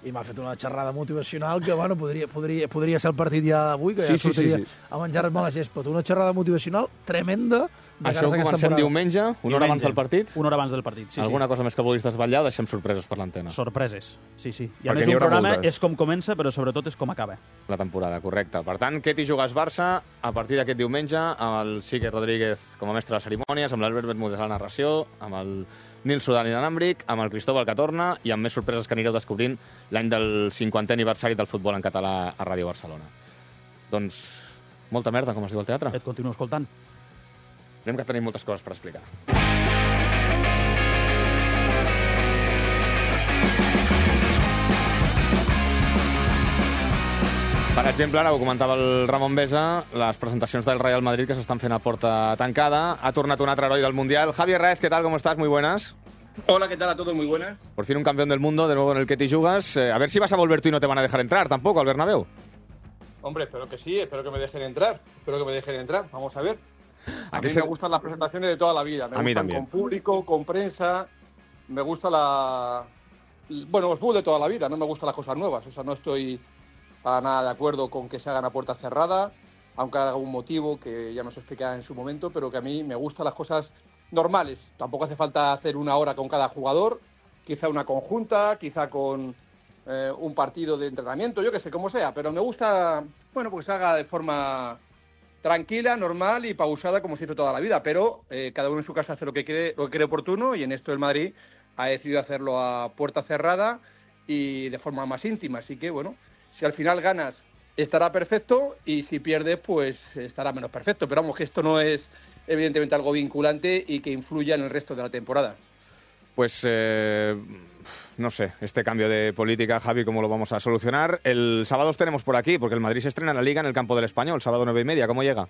i m'ha fet una xerrada motivacional que, bueno, podria, podria, podria ser el partit ja d'avui, que Sí, ja sí, sí, sortiria sí. a menjar-me a la gespa. Una xerrada motivacional tremenda de Això cares ho a aquesta comencem temporada. diumenge, una hora Diumenge. abans del partit. Una hora abans del partit, sí, Alguna sí. cosa més que vulguis desvetllar o deixem sorpreses per l'antena? Sorpreses, sí, sí. I Perquè a més n'hi un haurà programa moltes. és com comença, però sobretot és com acaba. La temporada, correcte. Per tant, Què t'hi jugues Barça a partir d'aquest diumenge amb el Quique Rodríguez com a mestre de cerimònies, amb l'Albert Bermúdez a la narració, amb el Nil Sudan i l'Anàmbric, amb el Cristóbal que torna i amb més sorpreses que anireu descobrint l'any del cinquantè aniversari del futbol en català a Ràdio Barcelona. Doncs, molta merda, com es diu al teatre. Et continuo escoltant. Anem que tenim moltes coses per explicar. Per exemple, ara ho comentava el Ramon Besa, les presentacions del Real Madrid que s'estan fent a porta tancada. Ha tornat un altre heroi del Mundial. Javier Raez, ¿qué tal? ¿Cómo estás? Muy buenas. Hola, ¿qué tal a todos? Muy buenas. Por fin un campeón del mundo, de nuevo en el que te jugas. Eh, a ver si vas a volver tú y no te van a dejar entrar tampoco al Bernabéu. Hombre, espero que sí, espero que me dejen entrar. Espero que me dejen entrar. Vamos a ver. A, a mí se... me gustan las presentaciones de toda la vida. Me a gustan mí también. Con público, con prensa. Me gusta la... Bueno, el fútbol de toda la vida. No me gustan las cosas nuevas. O sea, no estoy para nada de acuerdo con que se hagan a puerta cerrada, aunque haya algún motivo que ya nos explicará en su momento, pero que a mí me gustan las cosas normales. Tampoco hace falta hacer una hora con cada jugador, quizá una conjunta, quizá con eh, un partido de entrenamiento, yo que sé, como sea, pero me gusta, bueno, pues se haga de forma tranquila, normal y pausada como se hizo toda la vida, pero eh, cada uno en su casa hace lo que cree, lo que cree oportuno, y en esto el Madrid ha decidido hacerlo a puerta cerrada y de forma más íntima, así que bueno, si al final ganas estará perfecto y si pierdes pues estará menos perfecto, pero vamos que esto no es evidentemente algo vinculante y que influya en el resto de la temporada. Pues eh, no sé, este cambio de política, Javi, ¿cómo lo vamos a solucionar? El sábado os tenemos por aquí, porque el Madrid se estrena en la Liga en el campo del Español, sábado nueve y media, ¿cómo llega?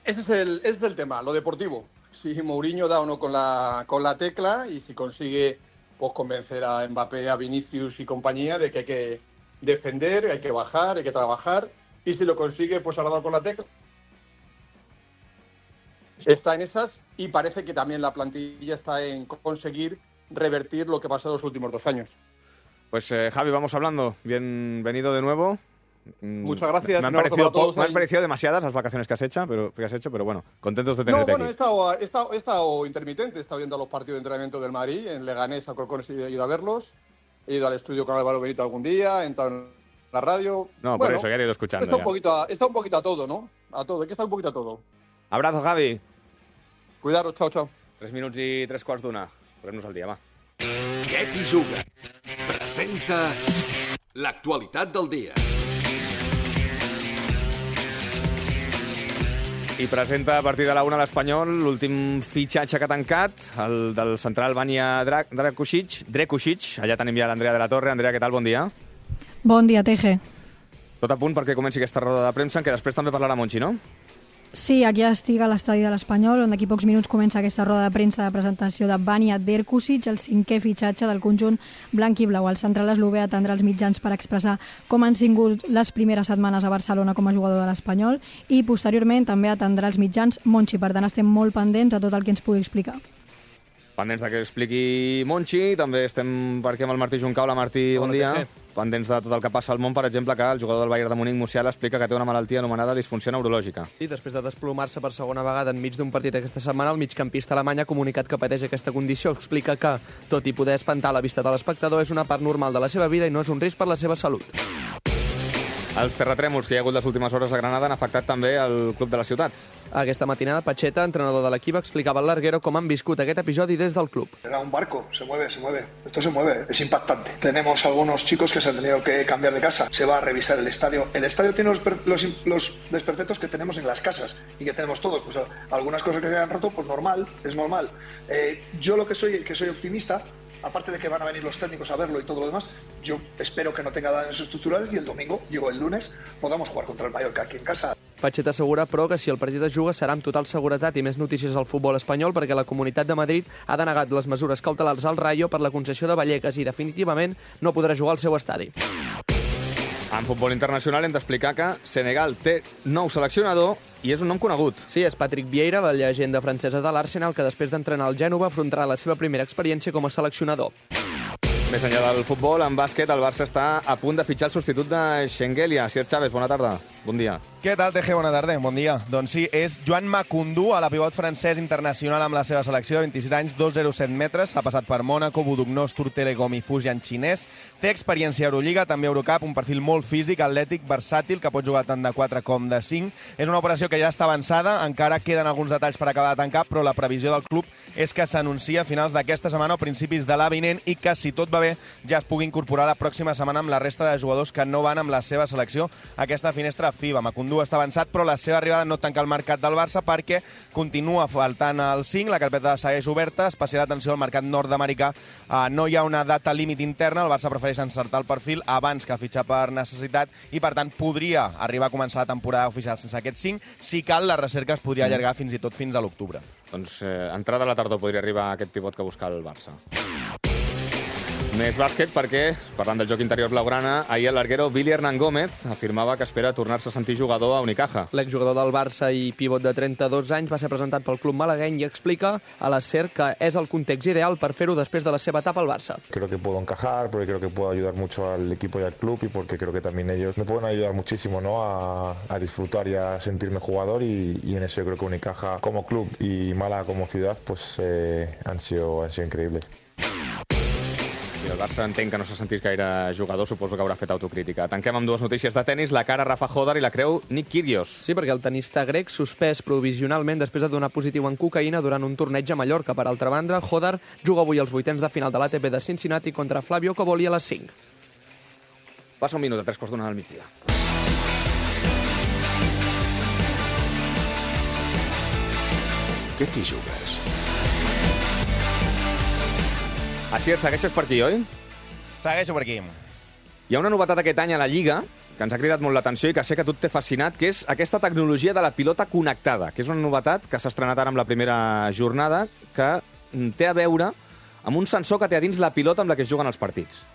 Ese es el, ese es el tema, lo deportivo. Si Mourinho da o no con la, con la tecla y si consigue pues convencer a Mbappé, a Vinicius y compañía de que hay que defender, hay que bajar, hay que trabajar, y si lo consigue, pues habrá dado con la tecla. Está en esas y parece que también la plantilla está en conseguir revertir lo que pasó en los últimos dos años. Pues eh, Javi, vamos hablando. Bienvenido de nuevo. Muchas gracias. Me han, parecido, po- me han parecido demasiadas las vacaciones que has hecho, pero, que has hecho, pero bueno, contentos de tenerte no, bueno, aquí. He estado, he, estado, he estado intermitente, he estado viendo los partidos de entrenamiento del Madrid, en Leganés, a Corcones he ido a verlos, he ido al estudio con Álvaro Benito algún día, he entrado en la radio... No, bueno, por eso, ya he ido escuchando. Está un, ya. poquito a, está un poquito a todo, ¿no? A todo, hay que estar un poquito a todo. Abrazo, Javi. Cuidaros, chao, chao. Tres minuts i tres quarts d'una. Posem-nos al dia, va. Què t'hi juga? Presenta l'actualitat del dia. I presenta a partir de la una l'Espanyol l'últim fitxatge que ha tancat, el del central Vania Drakušić, Drakušić. Allà tenim ja l'Andrea de la Torre. Andrea, què tal? Bon dia. Bon dia, Teje. Tot a punt perquè comenci aquesta roda de premsa, en què després també parlarà Monchi, no? Sí, aquí estic a l'estadi de l'Espanyol, on d'aquí pocs minuts comença aquesta roda de premsa de presentació de Vania Drakušić, el cinquè fitxatge del conjunt blanc i blau. El central eslové atendrà els mitjans per expressar com han sigut les primeres setmanes a Barcelona com a jugador de l'Espanyol i posteriorment també atendrà els mitjans Monchi. Per tant, estem molt pendents a tot el que ens pugui explicar. Pendents de que expliqui Monchi, també estem per aquí amb el Martí Juncaula. Martí, bon dia. Pendents de tot el que passa al món, per exemple, que el jugador del Bayern de Múnich, Musiala, explica que té una malaltia anomenada disfunció neurològica. I després de desplomar-se per segona vegada enmig d'un partit aquesta setmana, el migcampista alemany ha comunicat que pateix aquesta condició. Explica que, tot i poder espantar la vista de l'espectador, és una part normal de la seva vida i no és un risc per la seva salut. Els terratrèmols que hi ha hagut les últimes hores a Granada han afectat també el club de la ciutat. Aquesta matinada, Pacheta, entrenador de l'equip, explicava al Larguero com han viscut aquest episodi des del club. Era un barco, se mueve, se mueve. Esto se mueve, es impactante. Tenemos algunos chicos que se han tenido que cambiar de casa. Se va a revisar el estadio. El estadio tiene los, per, los, los desperfectos que tenemos en las casas y que tenemos todos. Pues algunas cosas que se han roto, pues normal, es normal. Eh, yo lo que soy, que soy optimista, aparte de que van a venir los técnicos a verlo y todo lo demás, yo espero que no tenga daños estructurales y el domingo, digo el lunes, podamos jugar contra el Mallorca aquí en casa. Pacheta assegura, però, que si el partit es juga serà amb total seguretat i més notícies al futbol espanyol perquè la Comunitat de Madrid ha denegat les mesures cautelars al Rayo per la concessió de Vallecas i definitivament no podrà jugar al seu estadi. En futbol internacional hem d'explicar que Senegal té nou seleccionador i és un nom conegut. Sí, és Patrick Vieira, la llegenda francesa de l'Arsenal, que després d'entrenar el Gènova afrontarà la seva primera experiència com a seleccionador. Més enllà del futbol, en bàsquet, el Barça està a punt de fitxar el substitut de Schengelia. Sier Chávez, bona tarda. Bon dia. Què tal, T G? Bona tarda. Bon dia. Doncs sí, és Joan Macundú, a la pivot francès internacional amb la seva selecció de vint-i-sis anys, dos coma zero set metres. Ha passat per Mònaco, Budućnost, Tur Telecom i Fujian xinès. Té experiència a Eurolliga, també Eurocup, un perfil molt físic, atlètic, versàtil, que pot jugar tant de quatre com de cinc. És una operació que ja està avançada, encara queden alguns detalls per acabar de tancar, però la previsió del club és que s'anuncia a finals d'aquesta setmana o principis de l'avinent i que, si tot va bé, ja es pugui incorporar la pròxima setmana amb la resta de jugadors que no van amb la seva selecció a aquesta finestra F I B A. Makoundou està avançat, però la seva arribada no tanca el mercat del Barça perquè continua faltant el cinc, la carpeta segueix oberta, especial atenció al mercat nord-americà. Uh, no hi ha una data límit interna, el Barça prefereix encertar el perfil abans que fitxar per necessitat i, per tant, podria arribar a començar la temporada oficial sense aquest cinc. Si cal, la recerca es podria allargar fins i tot fins a l'octubre. Doncs eh, entrada a la tardor podria arribar aquest pivot que busca el Barça. Més bàsquet perquè, parlant del joc interior blaugrana, ahir el larguero Billy Hernán Gómez afirmava que espera tornar-se a sentir jugador a Unicaja. L'exjugador del Barça i pivot de trenta-dos anys va ser presentat pel club malagueny i explica a la SER que és el context ideal per fer-ho després de la seva etapa al Barça. Creo que puedo encajar, porque creo que puedo ayudar mucho al equipo y al club y porque creo que también ellos me pueden ayudar muchísimo, ¿no? a, a disfrutar y a sentirme jugador y, y en eso yo creo que Unicaja como club y Málaga como ciudad pues eh, han sido, han sido increíbles. Si el Barça entenc que no s'ha sentit gaire jugador, suposo que haurà fet autocrítica. Tanquem amb dues notícies de tennis, la cara Rafa Hodar i la creu Nick Kyrgios. Sí, perquè el tenista grec suspès provisionalment després de donar positiu en cocaïna durant un torneig a Mallorca. Per altra banda, Hodar juga avui els vuitens de final de l'A T P de Cincinnati contra Flavio Cobolli a les cinc. Passa un minut a tres quarts d'una del migdia. Què t'hi jugues? Així, segueixes per aquí, oi? Segueixo per aquí. Hi ha una novetat aquest any a la Lliga que ens ha cridat molt l'atenció i que sé que a tu t'he fascinat, que és aquesta tecnologia de la pilota connectada, que és una novetat que s'ha estrenat ara amb la primera jornada, que té a veure amb un sensor que té a dins la pilota amb la que es juguen els partits.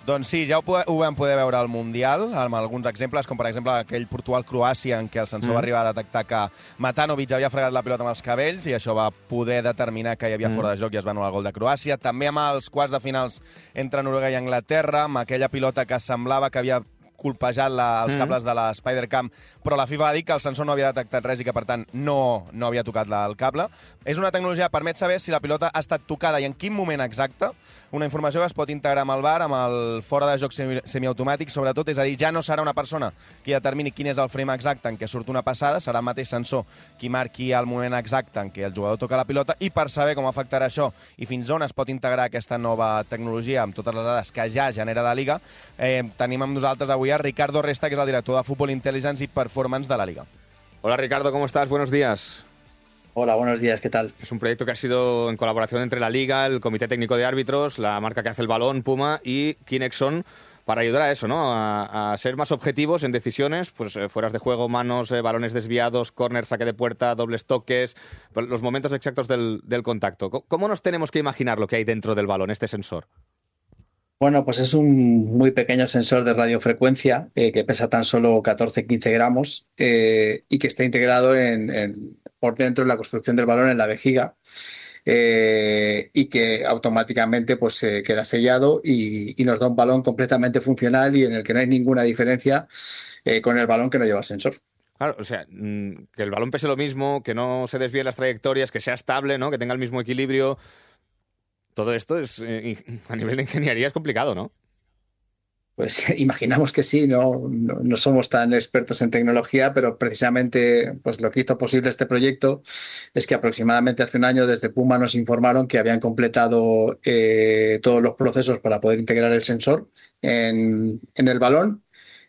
Doncs sí, ja ho, ho vam poder veure al Mundial, amb alguns exemples, com per exemple aquell Portugal-Croàcia, en què el sensor mm. va arribar a detectar que Matanovic havia fregat la pilota amb els cabells i això va poder determinar que hi havia mm. fora de joc i es va anul·lar el gol de Croàcia. També amb els quarts de finals entre Noruega i Anglaterra, amb aquella pilota que semblava que havia colpejat la, els cables mm. de la Spider-Cam, però la FIFA va dir que el sensor no havia detectat res i que, per tant, no, no havia tocat la, el cable. És una tecnologia que permet saber si la pilota ha estat tocada i en quin moment exacte. Una informació que es pot integrar amb el V A R, amb el fora de joc semi, semiautomàtic, sobretot, és a dir, ja no serà una persona qui determini quin és el frame exacte en què surt una passada, serà el mateix sensor qui marqui el moment exacte en què el jugador toca la pilota, i per saber com afectarà això i fins on es pot integrar aquesta nova tecnologia amb totes les dades que ja genera la Liga, eh, tenim amb nosaltres avui a Ricardo Resta, que és el director de Football Intelligence i Performance de la Liga. Hola Ricardo, ¿cómo estás? Buenos días. Hola, buenos días, ¿qué tal? Es un proyecto que ha sido en colaboración entre la Liga, el Comité Técnico de Árbitros, la marca que hace el balón, Puma, y Kinexon, para ayudar a eso, ¿no? A, a ser más objetivos en decisiones, pues eh, fueras de juego, manos, eh, balones desviados, córner, saque de puerta, dobles toques, los momentos exactos del, del contacto. ¿Cómo nos tenemos que imaginar lo que hay dentro del balón, este sensor? Bueno, pues es un muy pequeño sensor de radiofrecuencia eh, que pesa tan solo catorce a quince gramos eh, y que está integrado en, en, por dentro de la construcción del balón en la vejiga eh, y que automáticamente pues, eh, queda sellado y, y nos da un balón completamente funcional y en el que no hay ninguna diferencia eh, con el balón que no lleva sensor. Claro, o sea, que el balón pese lo mismo, que no se desvíe las trayectorias, que sea estable, ¿no? Que tenga el mismo equilibrio. Todo esto es, eh, a nivel de ingeniería es complicado, ¿no? Pues imaginamos que sí, no, no, no somos tan expertos en tecnología, pero precisamente pues, lo que hizo posible este proyecto es que aproximadamente hace un año desde Puma nos informaron que habían completado eh, todos los procesos para poder integrar el sensor en, en el balón,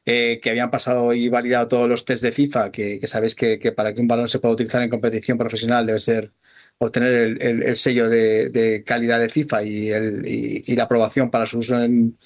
eh, que habían pasado y validado todos los test de FIFA, que, que sabéis que, que para que un balón se pueda utilizar en competición profesional debe ser obtener el, el, el sello de, de calidad de FIFA y, el, y, y la aprobación para su uso en,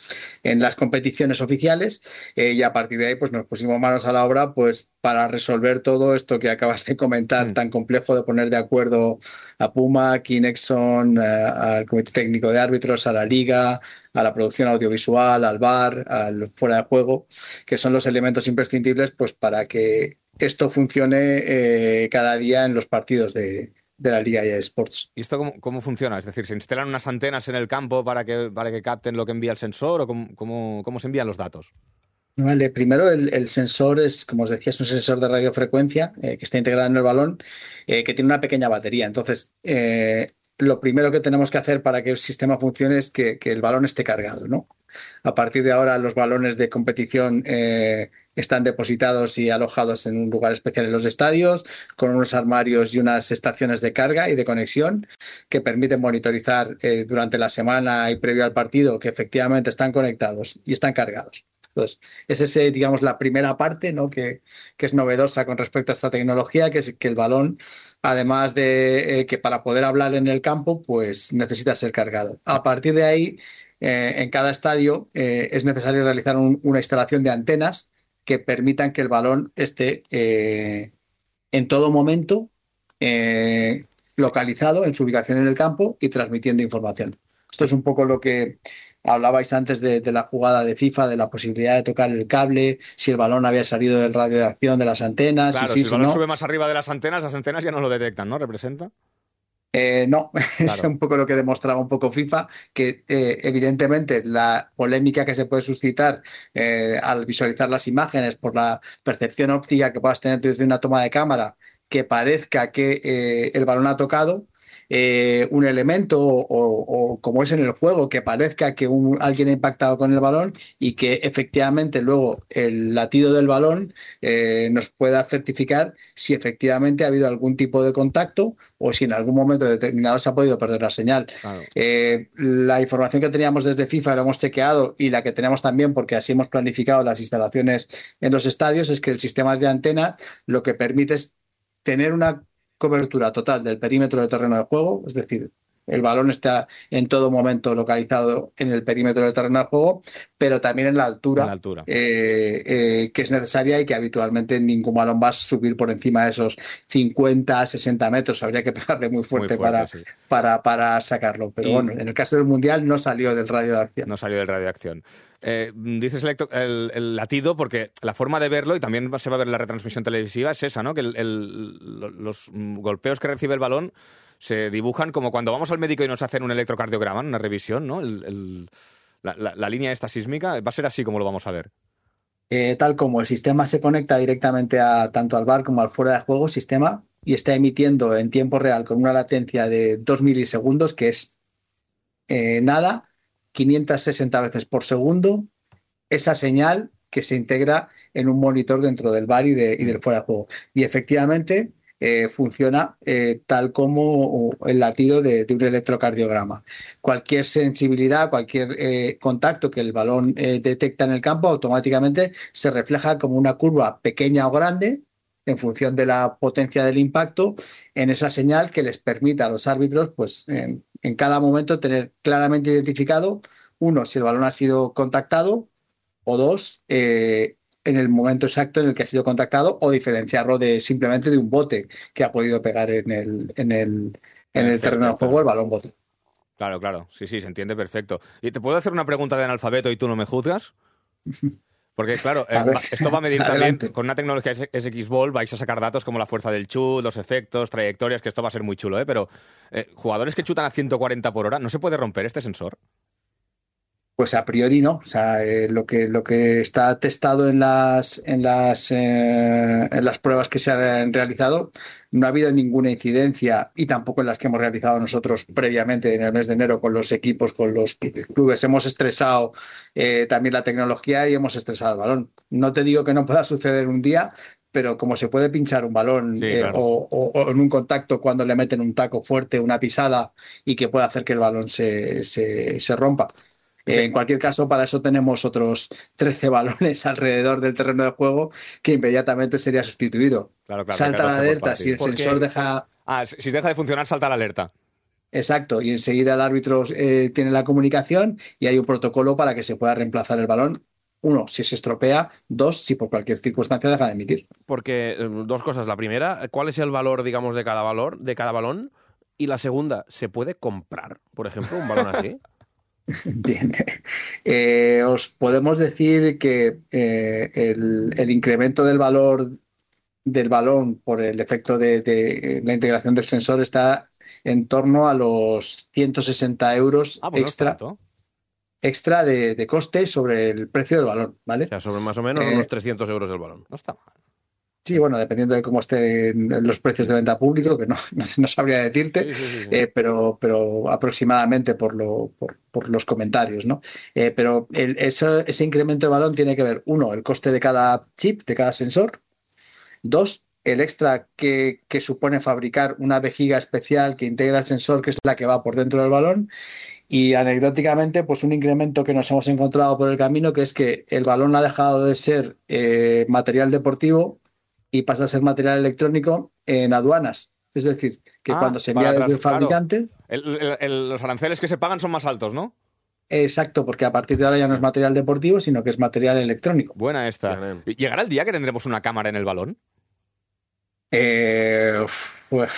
en las competiciones oficiales, eh, y a partir de ahí pues nos pusimos manos a la obra pues para resolver todo esto que acabas de comentar, mm. tan complejo de poner de acuerdo a Puma, Kinexon, eh, al Comité Técnico de Árbitros, a la Liga, a la producción audiovisual, al V A R, al fuera de juego, que son los elementos imprescindibles pues para que esto funcione eh, cada día en los partidos de de la Liga de Sports. ¿Y esto cómo, cómo funciona? Es decir, ¿se instalan unas antenas en el campo para que, para que capten lo que envía el sensor o cómo, cómo, cómo se envían los datos? Vale, primero el, el sensor es, como os decía, es un sensor de radiofrecuencia eh, que está integrado en el balón, eh, que tiene una pequeña batería. Entonces, eh, lo primero que tenemos que hacer para que el sistema funcione es que, que el balón esté cargado, ¿no? A partir de ahora los balones de competición eh, están depositados y alojados en un lugar especial en los estadios, con unos armarios y unas estaciones de carga y de conexión que permiten monitorizar eh, durante la semana y previo al partido que efectivamente están conectados y están cargados. Entonces, esa es, eh, digamos, la primera parte, ¿no? que, que es novedosa con respecto a esta tecnología, que es que el balón, además de eh, que para poder hablar en el campo, pues necesita ser cargado. A partir de ahí, eh, en cada estadio eh, es necesario realizar un, una instalación de antenas que permitan que el balón esté eh, en todo momento eh, localizado en su ubicación en el campo y transmitiendo información. Esto es un poco lo que hablabais antes de, de la jugada de FIFA, de la posibilidad de tocar el cable, si el balón había salido del radio de acción de las antenas. Claro, si, si sí, el balón si no. sube más arriba de las antenas, las antenas ya no lo detectan, ¿no? ¿Representa? Eh, no, Claro. es un poco lo que demostraba un poco FIFA, que eh, evidentemente la polémica que se puede suscitar eh, al visualizar las imágenes por la percepción óptica que puedas tener desde una toma de cámara, que parezca que eh, el balón ha tocado eh, un elemento o, o, como es en el juego, que parezca que un, alguien ha impactado con el balón y que efectivamente luego el latido del balón eh, nos pueda certificar si efectivamente ha habido algún tipo de contacto o si en algún momento determinado se ha podido perder la señal. Claro. Eh, la información que teníamos desde FIFA la hemos chequeado y la que tenemos también, porque así hemos planificado las instalaciones en los estadios, es que el sistema de antena lo que permite es tener una cobertura total del perímetro de terreno de juego, es decir, el balón está en todo momento localizado en el perímetro del terreno de juego, pero también en la altura, En la altura. eh, eh, que es necesaria y que habitualmente ningún balón va a subir por encima de esos cincuenta, sesenta metros. Habría que pegarle muy fuerte, Muy fuerte, para, sí. para, para sacarlo. Pero Y- bueno, en el caso del Mundial no salió del radio de acción. No salió del radio de acción. Eh, dices el, electro- el- el latido porque la forma de verlo, y también se va a ver en la retransmisión televisiva, es esa, ¿no? Que el- el- lo- los mm, golpeos que recibe el balón se dibujan como cuando vamos al médico y nos hacen un electrocardiograma, una revisión, ¿no? El- el- la, la- la línea esta sísmica, va a ser así como lo vamos a ver. Eh, tal como el sistema se conecta directamente a tanto al V A R como al fuera de juego sistema y está emitiendo en tiempo real con una latencia de dos milisegundos, que es eh, nada, quinientas sesenta veces por segundo, esa señal que se integra en un monitor dentro del V A R y, de, y del fuera de juego. Y efectivamente eh, funciona eh, tal como el latido de, de un electrocardiograma. Cualquier sensibilidad, cualquier eh, contacto que el balón eh, detecta en el campo, automáticamente se refleja como una curva pequeña o grande en función de la potencia del impacto en esa señal que les permita a los árbitros, pues en, en cada momento tener claramente identificado, uno, si el balón ha sido contactado, o dos, eh, en el momento exacto en el que ha sido contactado, o diferenciarlo de simplemente de un bote que ha podido pegar en el, en el, en el terreno de juego el balón bote. Claro, claro. Sí, sí, se entiende perfecto. ¿Y te puedo hacer una pregunta de analfabeto y tú no me juzgas? Porque, claro, eh, A ver, va- esto va a medir también, adelante. con una tecnología S X Ball vais a sacar datos como la fuerza del chut, los efectos, trayectorias, que esto va a ser muy chulo, ¿eh? Pero eh, jugadores que chutan a ciento cuarenta por hora, ¿no se puede romper este sensor? Pues a priori no. O sea, eh, lo que lo que está testado en las en las eh, en las pruebas que se han realizado, no ha habido ninguna incidencia, y tampoco en las que hemos realizado nosotros previamente en el mes de enero con los equipos, con los clubes. Hemos estresado eh, también la tecnología y hemos estresado el balón. No te digo que no pueda suceder un día, pero como se puede pinchar un balón Sí, eh, claro. o, o- o en un contacto cuando le meten un taco fuerte, una pisada, y que puede hacer que el balón se, se, se rompa. Eh, en cualquier caso, para eso tenemos otros trece balones alrededor del terreno de juego que inmediatamente sería sustituido. Claro, claro. Salta la catorce por alerta si el partido. sensor deja... Ah, si si deja de funcionar, salta la alerta. Exacto, y enseguida el árbitro eh, tiene la comunicación y hay un protocolo para que se pueda reemplazar el balón. Uno, si se estropea. Dos, si por cualquier circunstancia deja de emitir. Porque eh, dos cosas. La primera, ¿cuál es el valor, digamos, de cada valor, de cada balón? Y la segunda, ¿se puede comprar, por ejemplo, un balón así? Bien. Eh, os podemos decir que eh, el, el incremento del valor del balón por el efecto de, de la integración del sensor está en torno a los ciento sesenta euros Ah, pues no es extra, tanto. extra de, de coste sobre el precio del balón, ¿vale? O sea, sobre más o menos Eh, unos trescientos euros el balón. No está mal. Sí, bueno, dependiendo de cómo estén los precios de venta público, que no, no, no sabría decirte, Sí, sí, sí, sí. eh, pero, pero aproximadamente por, lo, por, por los comentarios, ¿no? Eh, pero el- ese, ese incremento de balón tiene que ver, uno, el coste de cada chip, de cada sensor; dos, el extra que, que supone fabricar una vejiga especial que integra el sensor, que es la que va por dentro del balón; Y anecdóticamente, pues un incremento que nos hemos encontrado por el camino, que es que el balón ha dejado de ser eh, material deportivo y pasa a ser material electrónico en aduanas. Es decir, que Ah, cuando se envía para desde el atrás, claro. fabricante... El- el- el- los aranceles que se pagan son más altos, ¿no? Exacto, porque a partir de ahora ya no es material deportivo, sino que es material electrónico. Buena esta. ¿Llegará el día que tendremos una cámara en el balón? Eh, uf, pues,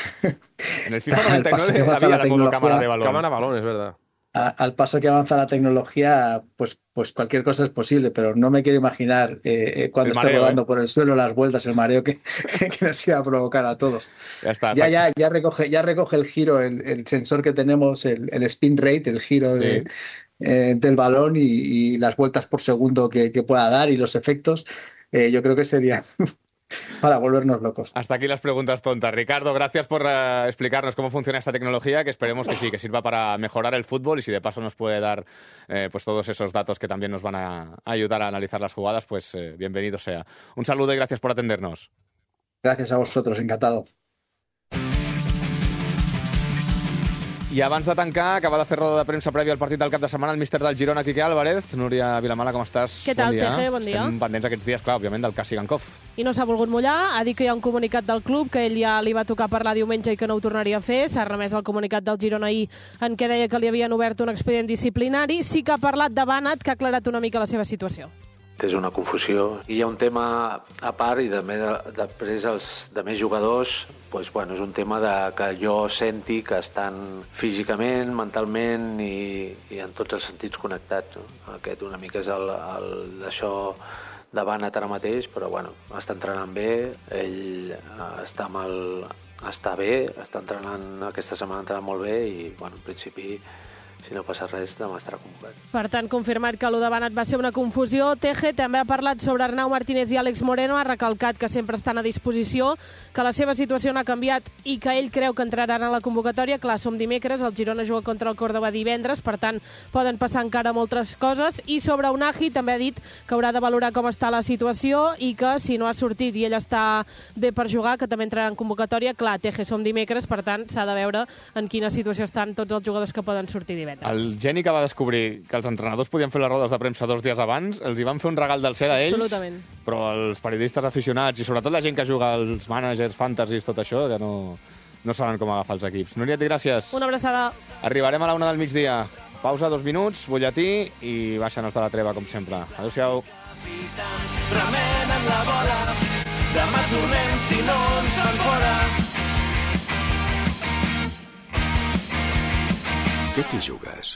En el FIFA al noventa y paso que nueve avanza había la la modo cámara tecnología- de balón. Cámara balón, es verdad. a- al paso que avanza la tecnología, pues, pues cualquier cosa es posible, pero no me quiero imaginar eh, eh, cuando El esté mareo, rodando ¿eh? por el suelo las vueltas, el mareo que, que nos iba a provocar a todos. Ya está. Ya, ya, ya recoge, ya recoge el giro, el, el sensor que tenemos, el, el spin rate, el giro de, Sí. eh, del balón y, y las vueltas por segundo que, que pueda dar y los efectos. Eh, yo creo que sería para volvernos locos. Hasta aquí las preguntas tontas. Ricardo, gracias por eh, explicarnos cómo funciona esta tecnología, que esperemos que sí, que sirva para mejorar el fútbol, y si de paso nos puede dar eh, pues todos esos datos que también nos van a ayudar a analizar las jugadas, pues eh, bienvenido sea. Un saludo y gracias por atendernos. Gracias a vosotros, encantado. I abans de tancar, acaba de fer roda de premsa prèvia al partit del cap de setmana el míster del Girona, Quique Álvarez. Núria Vilamala, com estàs? Què tal, bon dia. Teje? Bon dia. Estem pendents aquests dies, clar, òbviament, del cas Sigankov. I no s'ha volgut mullar, ha dit que hi ha un comunicat del club que ell ja li va tocar parlar diumenge i que no ho tornaria a fer. S'ha remès el comunicat del Girona ahir en què deia que li havien obert un expedient disciplinari. Sí que ha parlat de Bannat, que ha aclarat una mica la seva situació. És una confusió. I hi ha un tema a part, i de més, després els de més jugadors, doncs, bueno, és un tema de, que jo senti que estan físicament, mentalment i, i en tots els sentits connectats. No? Aquest una mica és el, el d'això de Bannat ara mateix, però bueno, està entrenant bé, ell eh, està, amb el, està bé, està entrenant, aquesta setmana ha entrenat molt bé i bueno, en principi, si no passa res, demà estarà convocat. Per tant, confirmat que allò de Bannat va ser una confusió. Teje també ha parlat sobre Arnau Martínez i Àlex Moreno, ha recalcat que sempre estan a disposició, que la seva situació no ha canviat i que ell creu que entraran a la convocatòria. Clar, som dimecres, el Girona juga contra el Córdoba divendres, per tant, poden passar encara moltes coses. I sobre Unai també ha dit que haurà de valorar com està la situació i que si no ha sortit i ell està bé per jugar, que també entrarà en convocatòria. Clar, Teje, som dimecres, per tant, s'ha de veure en quina situació estan tots els jugadors que poden sortir divendres. El geni que va descobrir que els entrenadors podien fer les rodes de premsa dos dies abans, els hi van fer un regal del cel a ells, Absolutament. però els periodistes aficionats i sobretot la gent que juga als managers, fantasis, tot això, que no, no saben com agafar els equips. Núria, gràcies. Una abraçada. Arribarem a la una del migdia. Pausa dos minuts, butlletí i baixen-nos de la treva, com sempre. Adéu-siau. Remenen la bola, demà tornem si no ens fan fora. Què t'hi jugues?